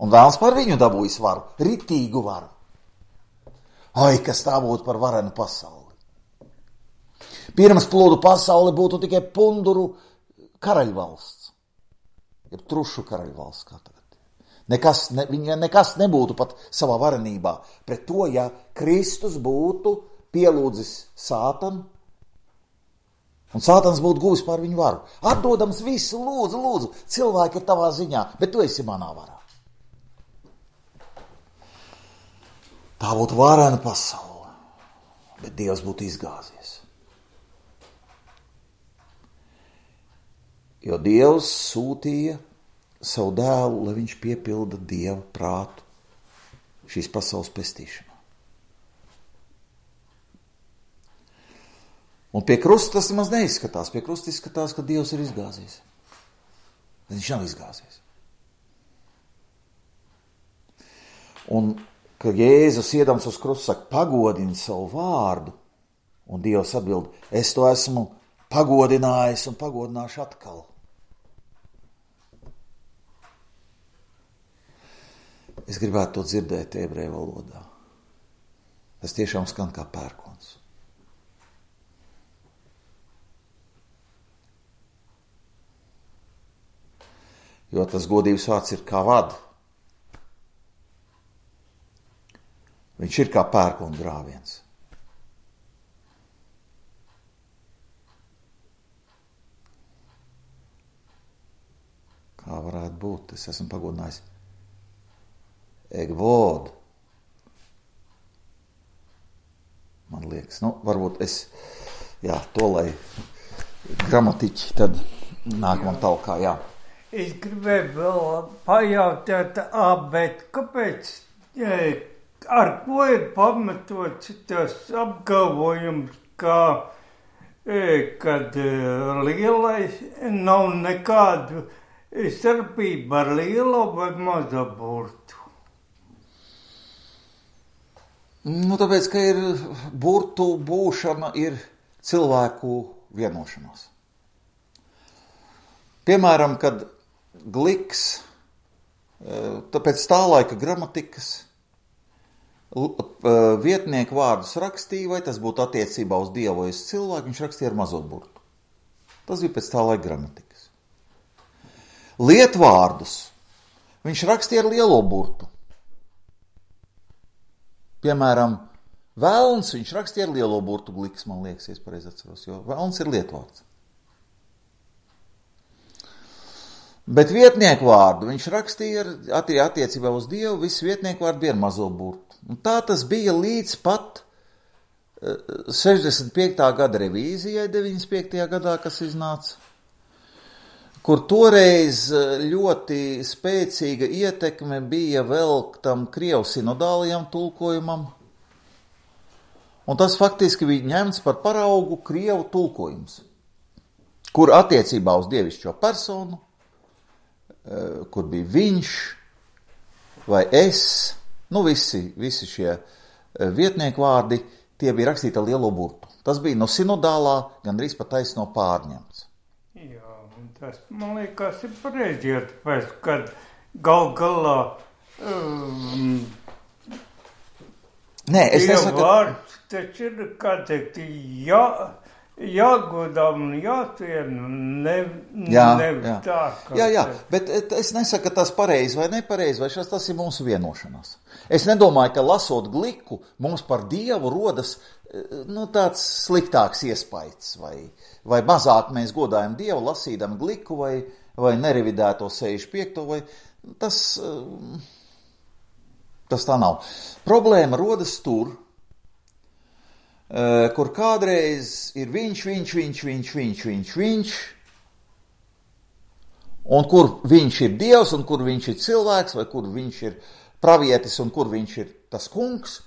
Un vēlns par viņu dabūjis varu, ritīgu varu. Ai, kas tā būtu par varenu pasauli. Pirms plūdu pasauli būtu tikai punduru karaļvalsts. Ja trušu karaļvalsts kā tagad. Viņa nekas nebūtu pat savā varenībā pret to, ja Kristus būtu pielūdzis Sātanu, un Sātans būtu guvis pār viņu varu. Atdodams visu, lūdzu, cilvēki ir tavā ziņā, bet tu esi manā varā. Tā būtu varena pasaule, bet Dievs būtu izgāzies. Jo Dievs sūtīja savu dēlu, lai viņš piepilda Dieva prātu šīs pasaules pestīšanā. Un pie krusta tas maz neizskatās. Pie krusta izskatās, ka Dievs ir izgāzies. Viņš nav izgāzies. Un, ka Jēzus iedams uz krustu saka, pagodini savu vārdu, un Dievs atbild, es to esmu pagodinājis un pagodināšu atkal. Es gribētu to dzirdēt ebreju valodā. Tas tiešām skan kā pērkons. Jo tas godības vārds ir kā vada. Viņš ir kā pērkona grāviens. Kā varētu būt? Es esmu pagodinājis. Egvod. Man liekas, varbūt to, lai gramatiķi tad nāk man talkā, Es gribēju vēl pajautāt, bet kāpēc, ar ko ir pamatots tas apgalvojums, kad lielais nav nekādu starpība ar lielo vai mazo burtu? Tāpēc, ka ir burtu būšana ir cilvēku vienošanās. Piemēram, kad Gliks, tāpēc tā laika gramatikas vietnieku vārdus rakstīja, vai tas būtu attiecībā uz Dievu vai uz cilvēku, viņš rakstīja ar mazo burtu. Tas bija pēc tā laika gramatikas. Lietvārdus viņš rakstīja ar lielo burtu. Piemēram, velns viņš rakstīja ar lielo burtu gliks, man liekas, es pareizi atceros, jo velns ir lietvārds. Bet vietnieku vārdu viņš rakstīja attiecībā uz Dievu, viss vietnieku vārdu bija ar mazo burtu. Un tā tas bija līdz pat 65. gada revīzijai, 95. gadā, kas iznāca, kur toreiz ļoti spēcīga ietekme bija vēl tam krievu sinodālajam tulkojumam, un tas faktiski bija ņemts par paraugu krievu tulkojums, kur attiecībā uz dievišķo personu, kur bija viņš vai es, visi šie vietnieku vārdi, tie bija rakstīti ar lielo burtu. Tas bija no sinodālā, gandrīz pat taisno pārņemts. Jā, un tas, man liekas, ir pareizi, tāpēc, kad galā Nē, es nesaku... vārds, taču ir, kā teikt, jāgodām un jātien, nevis tā. Jā, bet es nesaku, ka tas pareizi vai nepareizi, vai tas ir mūsu vienošanās. Es nedomāju, ka lasot gliku, mums par Dievu rodas tāds sliktāks iespaids, vai mazāk mēs godājam Dievu lasīdam gliku, vai nerevidēto 65. vai tas tā nav. Problēma rodas tur, kur kādreiz ir viņš, un kur viņš ir Dievs, un kur viņš ir cilvēks, vai kur viņš ir pravietis, un kur viņš ir tas kungs,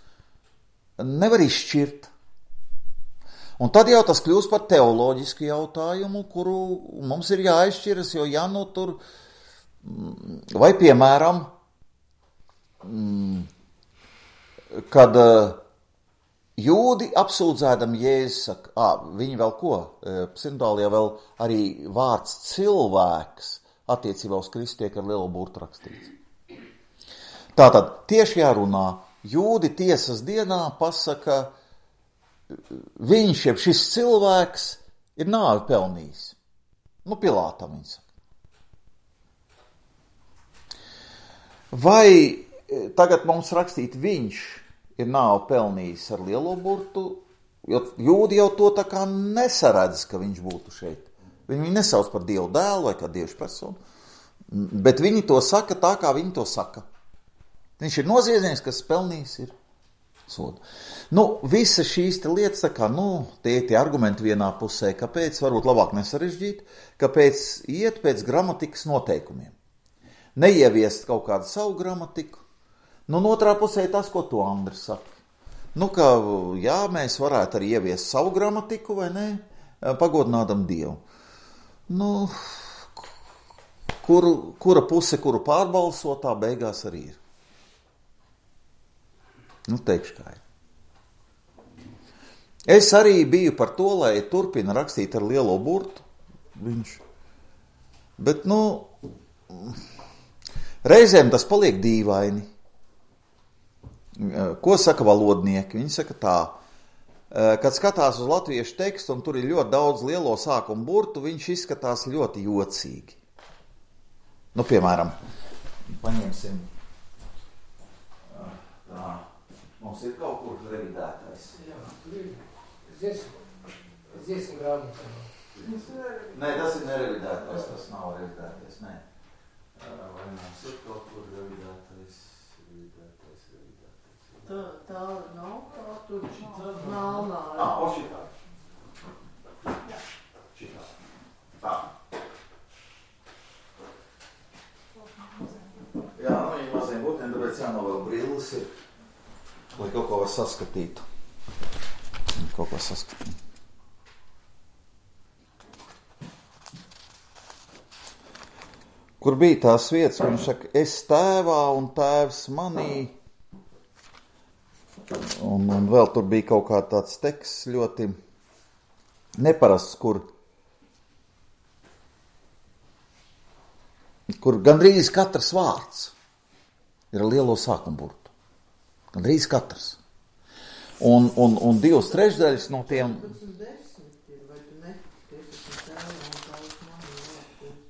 nevar izšķirt. Un tad jau tas kļūst par teoloģisku jautājumu, kuru mums ir jāizšķiras, jo tur, vai piemēram, kad jūdi apsūdzēdam Jēzus saka, viņi vēl ko? Sinodālijā vēl arī vārds cilvēks attiecībā uz Kristu tiek ar lielu burtu rakstīts. Tātad tieši jārunā, jūdi tiesas dienā pasaka, viņš, jeb šis cilvēks, ir nāvi pelnījis. Pilātam viņi saka. Vai tagad mums rakstīt viņš ir nāvi pelnījis ar lielo burtu, jo jūdi jau to tā kā nesaredz, ka viņš būtu šeit. Viņi nesauc par Dievu dēlu vai kā Dievu personu, bet viņi to saka tā, kā viņi to saka. Viņš ir noziedznieks, kas pelnījis ir sodu. Visas šīs lietas, tā kā, tie argumenti vienā pusē, kāpēc varbūt labāk nesarežģīt, kāpēc iet pēc gramatikas noteikumiem. Neieviest kaut kādu savu gramatiku. Otrā pusē tas, ko to Andris saka. Ka, mēs varētu arī ieviest savu gramatiku, vai ne, pagodinādam Dievu. Kura puse, kuru pārbalso, tā beigās arī ir. Teikšu kā ir. Es arī biju par to, lai turpina rakstīt ar lielo burtu. Bet, reizēm tas paliek dīvaini. Ko saka valodnieki? Viņi saka tā, kad skatās uz latviešu tekstu, un tur ir ļoti daudz lielo sākumu burtu, viņš izskatās ļoti jocīgi. Piemēram, paņemsim tā. Mums ir kaut kur revidētais. Jā, tur ir dziesmu grāmatā. Nē, tas ir nerevidētais, tas nav revidētais, nē. Vai mums ir kaut kur revidētais? Tā nav kā tur melnā. Šitā. Šitā. Tā. Jā, viņi maziem būtiem, tāpēc jānovēl brilles ir. Lai kaut ko var saskatīt. Kur bija tās vietas, kur viņš saka, es tēvā un tēvs manī. Un vēl tur bija kaut kā tāds teksts ļoti neparasts, kur gandrīz katrs vārds ir ar lielo sākumburtu. Gandrīz katrs. Un 2/3 no tiem...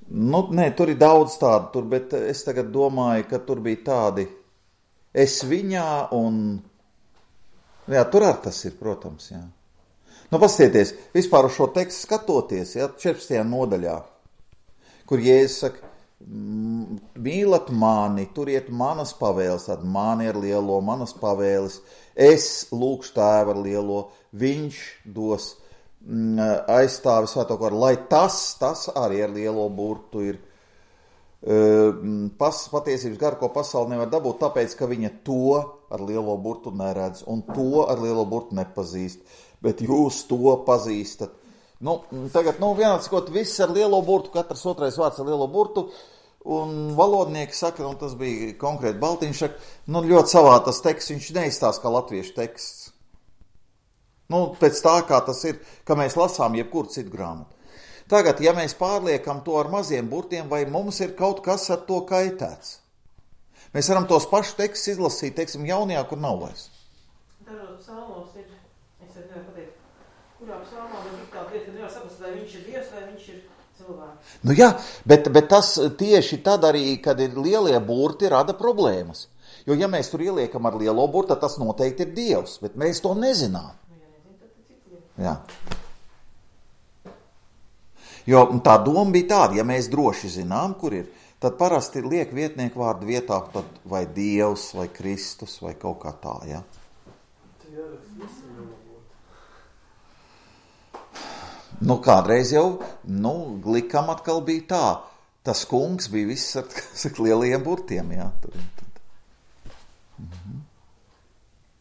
Nē, tur ir daudz tādu, bet es tagad domāju, ka tur bija tādi es viņā un Jā, tur arī tas ir, protams, jā. Nu, paskatieties, vispār uz šo tekstu skatoties, jā, 14. nodaļā, kur Jēzus saka, mīlat mani, turiet manas pavēles, tad mani ar lielo, manas pavēles, es lūkšu Tēvu ar lielo, viņš dos aizstāvi svēto garu, lai tas arī ar lielo burtu ir patiesības garu, ko pasauli nevar dabūt, tāpēc, ka viņa to ar lielo burtu neredz un to ar lielo burtu nepazīst, bet jūs to pazīstat. Tagad, vienāds, kaut viss ar lielo burtu, katrs otrais vārds ar lielo burtu, un valodnieki saka, un tas bija konkrēti Baltiņš, saka, ļoti savā tas teksts, viņš neizstāsta kā latviešu teksts. Pēc tā, kā tas ir, ka mēs lasām jebkuru citu grāmatu. Tagad, ja mēs pārliekam to ar maziem burtiem, vai mums ir kaut kas ar to kaitēts? Mēs varam tos pašus tekstus izlasīt, teiksim, jaunajā, kur nav vairs. Dažos psalmos ir, es nevaru pateikt, kurā psalmā man ir tāda lieta, ka nevar saprast, vai viņš ir Dievs, vai viņš ir cilvēks. Jā, bet tas tieši tad arī, kad ir lielie burti, rada problēmas. Jo, ja mēs tur ieliekam ar lielo burtu, tad tas noteikti ir Dievs, bet mēs to nezinām. Jā. Jo tā doma bija tāda, ja mēs droši zinām, kur ir, tad parasti liek vietnieku vārdu vietā tad vai Dievs, vai Kristus, vai kaut kā tā, ja? Kādreiz jau, Glikam atkal bija tā, tas kungs bija viss ar lielajiem burtiem, jā.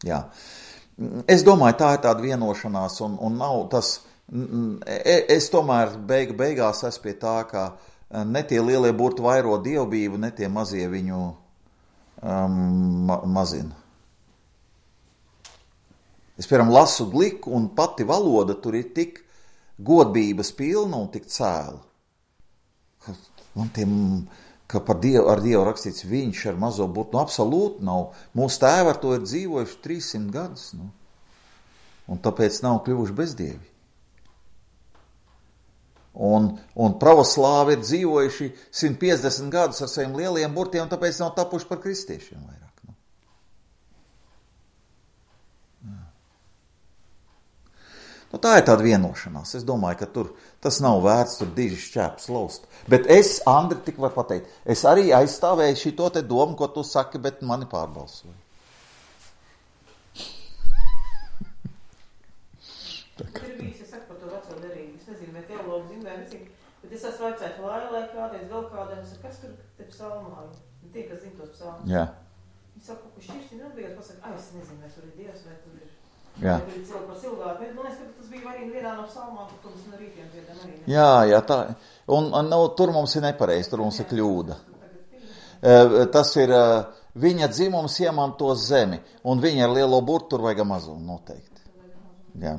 Jā. Es domāju, tā ir tāda vienošanās, un nav tas, es tomēr beigās esmu pie tā, ka ne tie lielie burti vairo dievbību, ne tie mazie viņu mazina. Es, piemēram, lasu Gliku, un pati valoda tur ir tik godbības pilna un tik cēla. Ka ar Dievu rakstīts viņš ar mazo burtu, absolūti nav. Mūsu tēvi ar to ir dzīvojuši 300 gadus, un tāpēc nav kļuvuši bezdievi. Un pravoslāvi ir dzīvojuši 150 gadus ar saviem lieliem burtiem, un tāpēc nav tapuši par kristiešiem vairāk. Tā ir tāda vienošanās. Es domāju, ka tas nav vērts tur diži šķēpus laust. Bet es, Andri, tik var pateikt, es arī aizstāvēju šito te domu, ko tu saki, bet mani pārbalsoja. Es saku par to veco derību. Es nezinu, vai teologi zina, vai nezinu, bet es esmu vaicājis lai kādreiz vēl kādiem, es saku, kas tur te psalmā? Tie, kas zina tos psalmus. Jā. Viņi saka, ka šķirsti nebija, pasaka, es nezinu, vai tur ir Dievs, vai tur ir. Jā. Vai tur ir cilvēki par cilvēku. Man liekas, ka tas bija arī vienā no psalmām, kur mums no rītiem dziedam arī. Jā, tā. Un tur mums ir nepareizi, tur mums ir kļūda. Tas ir, viņa dzimums iemanto zemi, un viņa ar lielo burtu tur vajag mazumu noteikti. Jā.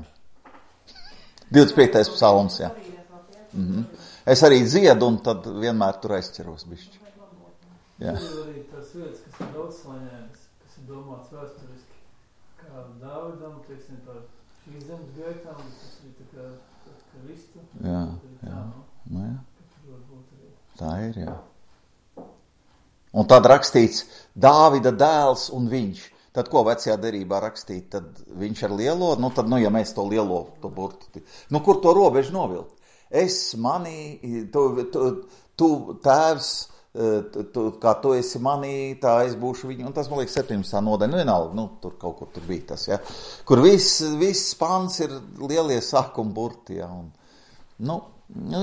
25. psalms, jā. Es arī dziedu, un tad vienmēr tur aizķeros bišķi. Jā. Ir arī tās vietas, kas ir daudz slaņēnas, kas ir domāts vēsturiski. Kā Dāvidam, teiksim, par šīs zemes gaitām, tas ir tā kā listu. Jā. Jā. Tā ir, jā. Un tad rakstīts Dāvida dēls un viņš. Tad, ko vecajā derībā rakstīt, tad viņš ar lielo, tad, ja mēs to lielo, to burtu, kur to robežu novilkt? Es, manī, tu tēvs, kā tu esi manī, tā es būšu viņu, un tas, man liekas, 17. nodaļa, vienalga, tur kaut kur tur bija tas, ja, kur viss pants ir lielie sākuma burti, ja, un,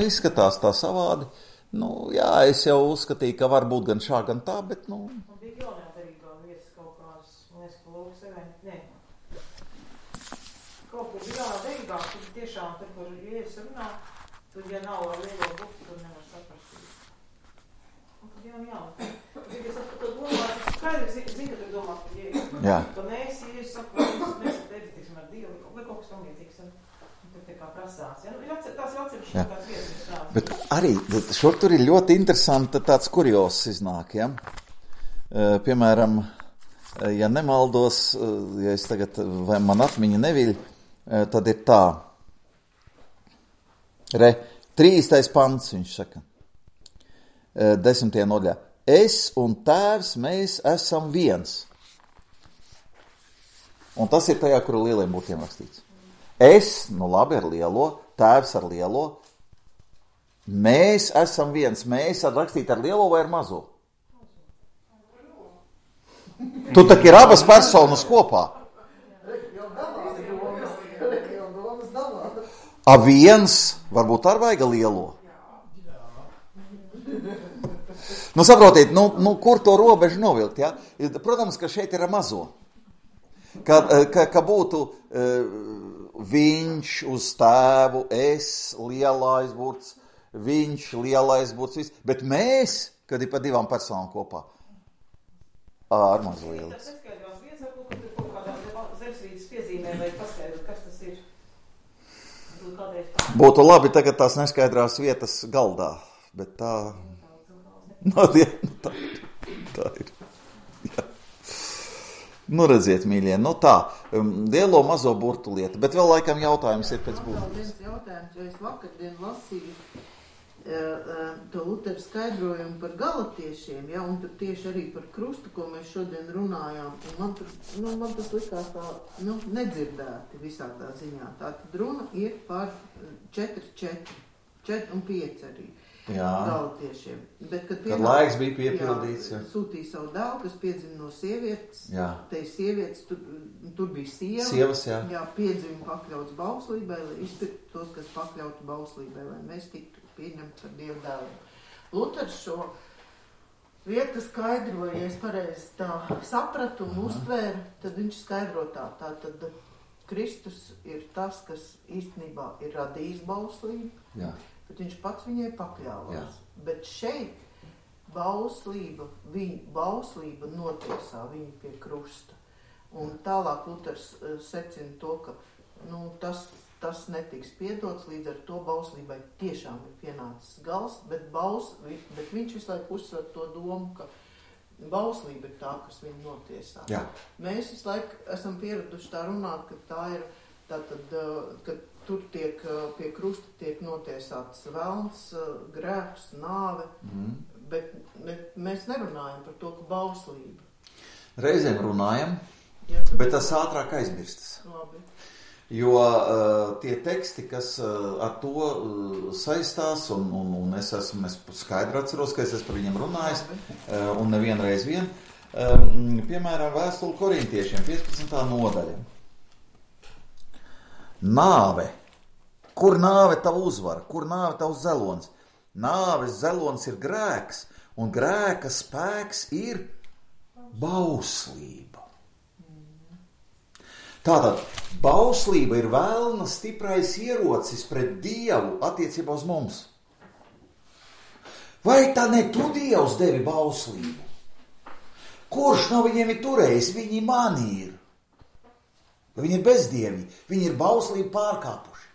izskatās tā savādi, jā, es jau uzskatīju, ka var būt gan šā, gan tā, bet, Man bija jaunajā derībā vietas kaut kādas, man liekas, ka lūk sevi, kaut kur bija jaunā derībā, tur tiešām, tur, kur Jēzus runā, tur, ja nav ar lielo burtu, tur nevar saprast. Jā. Es par to domāju, es skaidrs zinu, ka tu domā par Jēzu. Jā. Ka mēs, Jēzus saka, mēs teiksim ar Dievu, vai kaut kas tam līdzīgs, un tur tā kā prasās. Ja? Tās ir atsevišķi kāds vietas. Bet arī šur tur ir ļoti interesanti tāds kurios iznāk, ja? Piemēram, ja nemaldos, ja es tagad, vai man atmiņa neviļ, tad ir tā. 30. pants, viņš saka. 10. nodaļā. Es un tēvs, mēs esam viens. Un tas ir tajā, kur lieliem burtiem rakstīts. Es, labi, ar lielo, tēvs ar lielo, mēs esam viens, mēs rakstīt ar lielo vai ar mazo? Tu tak ir abas personas kopā. A viens, varbūt ar vaiga lielo. Saprotiet, kur to robežu novilkt, ja? Protams, ka šeit ir ar mazo. Ka būtu viņš uz tēvu, es, lielais burts, viņš, lielais burts, viss. Bet mēs, kad ir pa divām personām kopā, ar mazu lielis. Tas neskaidrās viens, varbūt, kad ir kaut kādām zemesvīdas piezīmēm, vai paskaidrot, kas tas ir. Būtu labi tagad tās neskaidrās vietas galdā, bet tā... tā ir. Jā. Redziet, mīļie, tā, lielo mazo burtu lieta, bet vēl laikam jautājums ir pēc būtības. Viens jautājums, jo es vakardien lasīju to Luteru skaidrojumu par galatiešiem, ja, un tur tieši arī par krustu, ko mēs šodien runājām, un man tas likās tā, nedzirdēti visādā ziņā. Tātad runa ir par 4 un 5 arī. Jā. Galatiešiem. Bet, kad laiks bija piepildīts. Sūtīja savu dēlu, kas piedzima no sievietes. Jā. Te sievietes, tur bija sieva. Sievas, jā. Jā, piedzima pakļauts bauslībai, lai izpirktu tos, kas pakļautu bauslībai, lai mēs tiktu pieņemti par Dievu dēlu. Luters šo vietu skaidroja, ja es pareizi tā sapratu un uztvēru, tad viņš skaidro tā. Tātad Kristus ir tas, kas īstenībā ir radījis bauslību. Jā. Bet viņš pats viņai pakļāvās. Jā. Bet šeit bauslība notiesā viņu pie krusta. Un tālāk Luters secina to, ka tas netiks piedots, līdz ar to bauslībai tiešām ir pienācis gals, bet viņš visu laiku uzsver to domu, ka bauslība ir tā, kas viņu notiesā. Jā. Mēs visu laiku esam pieraduši tā runāt, ka tā ir tātad, ka tur pie krusta tiek notiesāts velns, grēks, nāve, bet mēs nerunājam par to, ka bauslība. Reizēm runājam, bet tas ātrāk aizmirstas. Labi. Jo tie teksti, kas ar to saistās, un es skaidri atceros, ka es esmu par viņiem runājis, un nevienreiz vien, piemēram, vēstuli korintiešiem, 15. nodaļa. Nāve. Kur nāve tavu uzvara? Kur nāve tavs zelons? Nāves zelons ir grēks, un grēka spēks ir bauslība. Tātad, bauslība ir velna stiprais ierocis pret Dievu attiecībā uz mums. Vai tā ne tu, Dievs, devi bauslību? Kurš no viņiem ir turējis? Viņi mani ir. Viņi ir bezdievi, viņi ir bauslību pārkāpuši.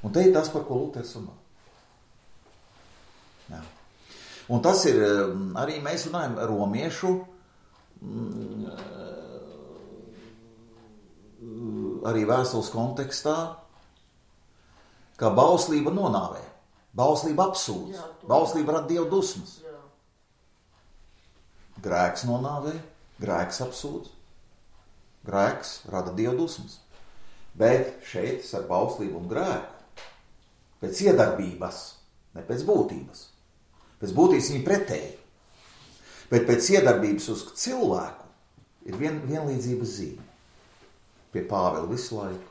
Un te ir tas, par ko Luters runā. Jā. Un tas ir, arī mēs runājam romiešu, arī vēstules kontekstā, ka bauslība nonāvē, bauslība apsūdz, bauslība rada Dievu dusmas. Grēks nonāvē, grēks apsūdz. Grēks rada Dievu dusmas. Bet šeit ar bauslību un grēku pēc iedarbības, ne pēc būtības. Pēc būtības viņi pretēji. Bet pēc iedarbības uz cilvēku ir vienlīdzības zīme. Pie Pāvela visu laiku.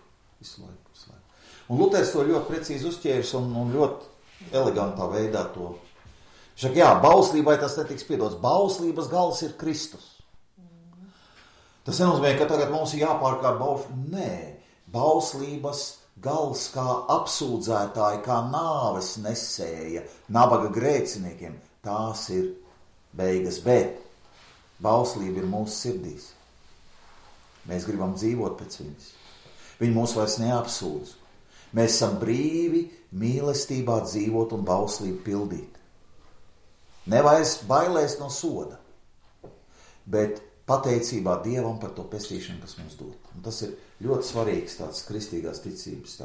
Un Luters to ļoti precīzi uzķēris un ļoti elegantā veidā to. Viņš saka, jā, bauslībai tas netiks piedots. Bauslības gals ir Kristus. Tas nenozīmē, ka tagad mums ir jāpārkārt bauslība. Nē, bauslības gals kā apsūdzētāji, kā nāves nesēja, nabaga grēciniekiem. Tās ir beigas, bet bauslība ir mūsu sirdīs. Mēs gribam dzīvot pēc viņas. Viņi mūs vairs neapsūdz. Mēs esam brīvi mīlestībā dzīvot un bauslību pildīt. Nevairs bailēs no soda, bet pateicībā Dievam par to pestīšanu, kas mums dod. Un tas ir ļoti svarīgs tāds kristīgās ticības,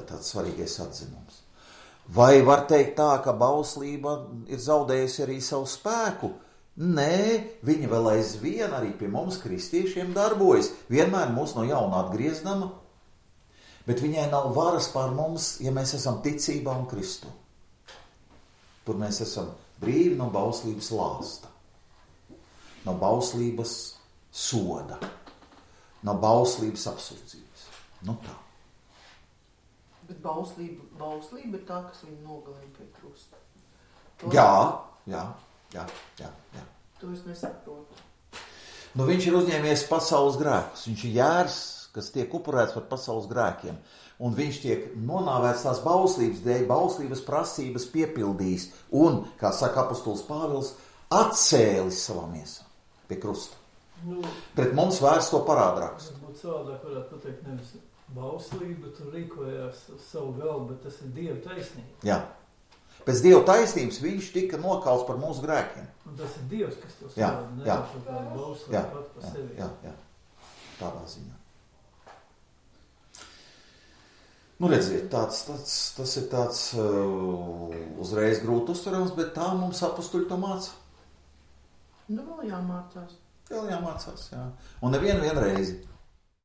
tāds svarīgais atzinums. Vai var teikt tā, ka bauslība ir zaudējusi arī savu spēku? Nē, viņa vēl aizvien arī pie mums kristiešiem darbojas. Vienmēr mūs no jauna atgriezdama, bet viņai nav varas pār mums, ja mēs esam ticībā un Kristu. Tur mēs esam brīvi no bauslības lāsta, no bauslības soda, no bauslības apsūdzības. Nu tā. Bet bauslība ir tā, kas viņu nogalina pie krusta. Jā. To es nesaprotu. Nu, viņš ir uzņēmies pasaules grēkus. Viņš ir jērs, kas tiek upurēts par pasaules grēkiem. Un viņš tiek nonāvēts tās bauslības dēļ, bauslības prasības piepildījis. Un, kā saka apostols Pāvils, atcēlis savā miesā pie krusta. Nu, Pret mums vairs to parādrāks. varbūt savādāk varētu pateikt nevis bauslība, tur rīkojās uz savu galvu, bet tas ir Dieva taisnība. Jā. Pēc Dieva taisnības viņš tika nokauts par mūsu grēkiem. Un tas ir Dievs, kas to Jā, savāda, jā. nevis kaut kāda bauslība pat pa sevi. Jā. Tādā ziņā. Nu, redziet, tas ir tāds uzreiz grūti uztverams, bet tā mums apustuļi to māca. Nu, vēl jāmācās. Vēl jāmācās, jā. Un nevienu reizi.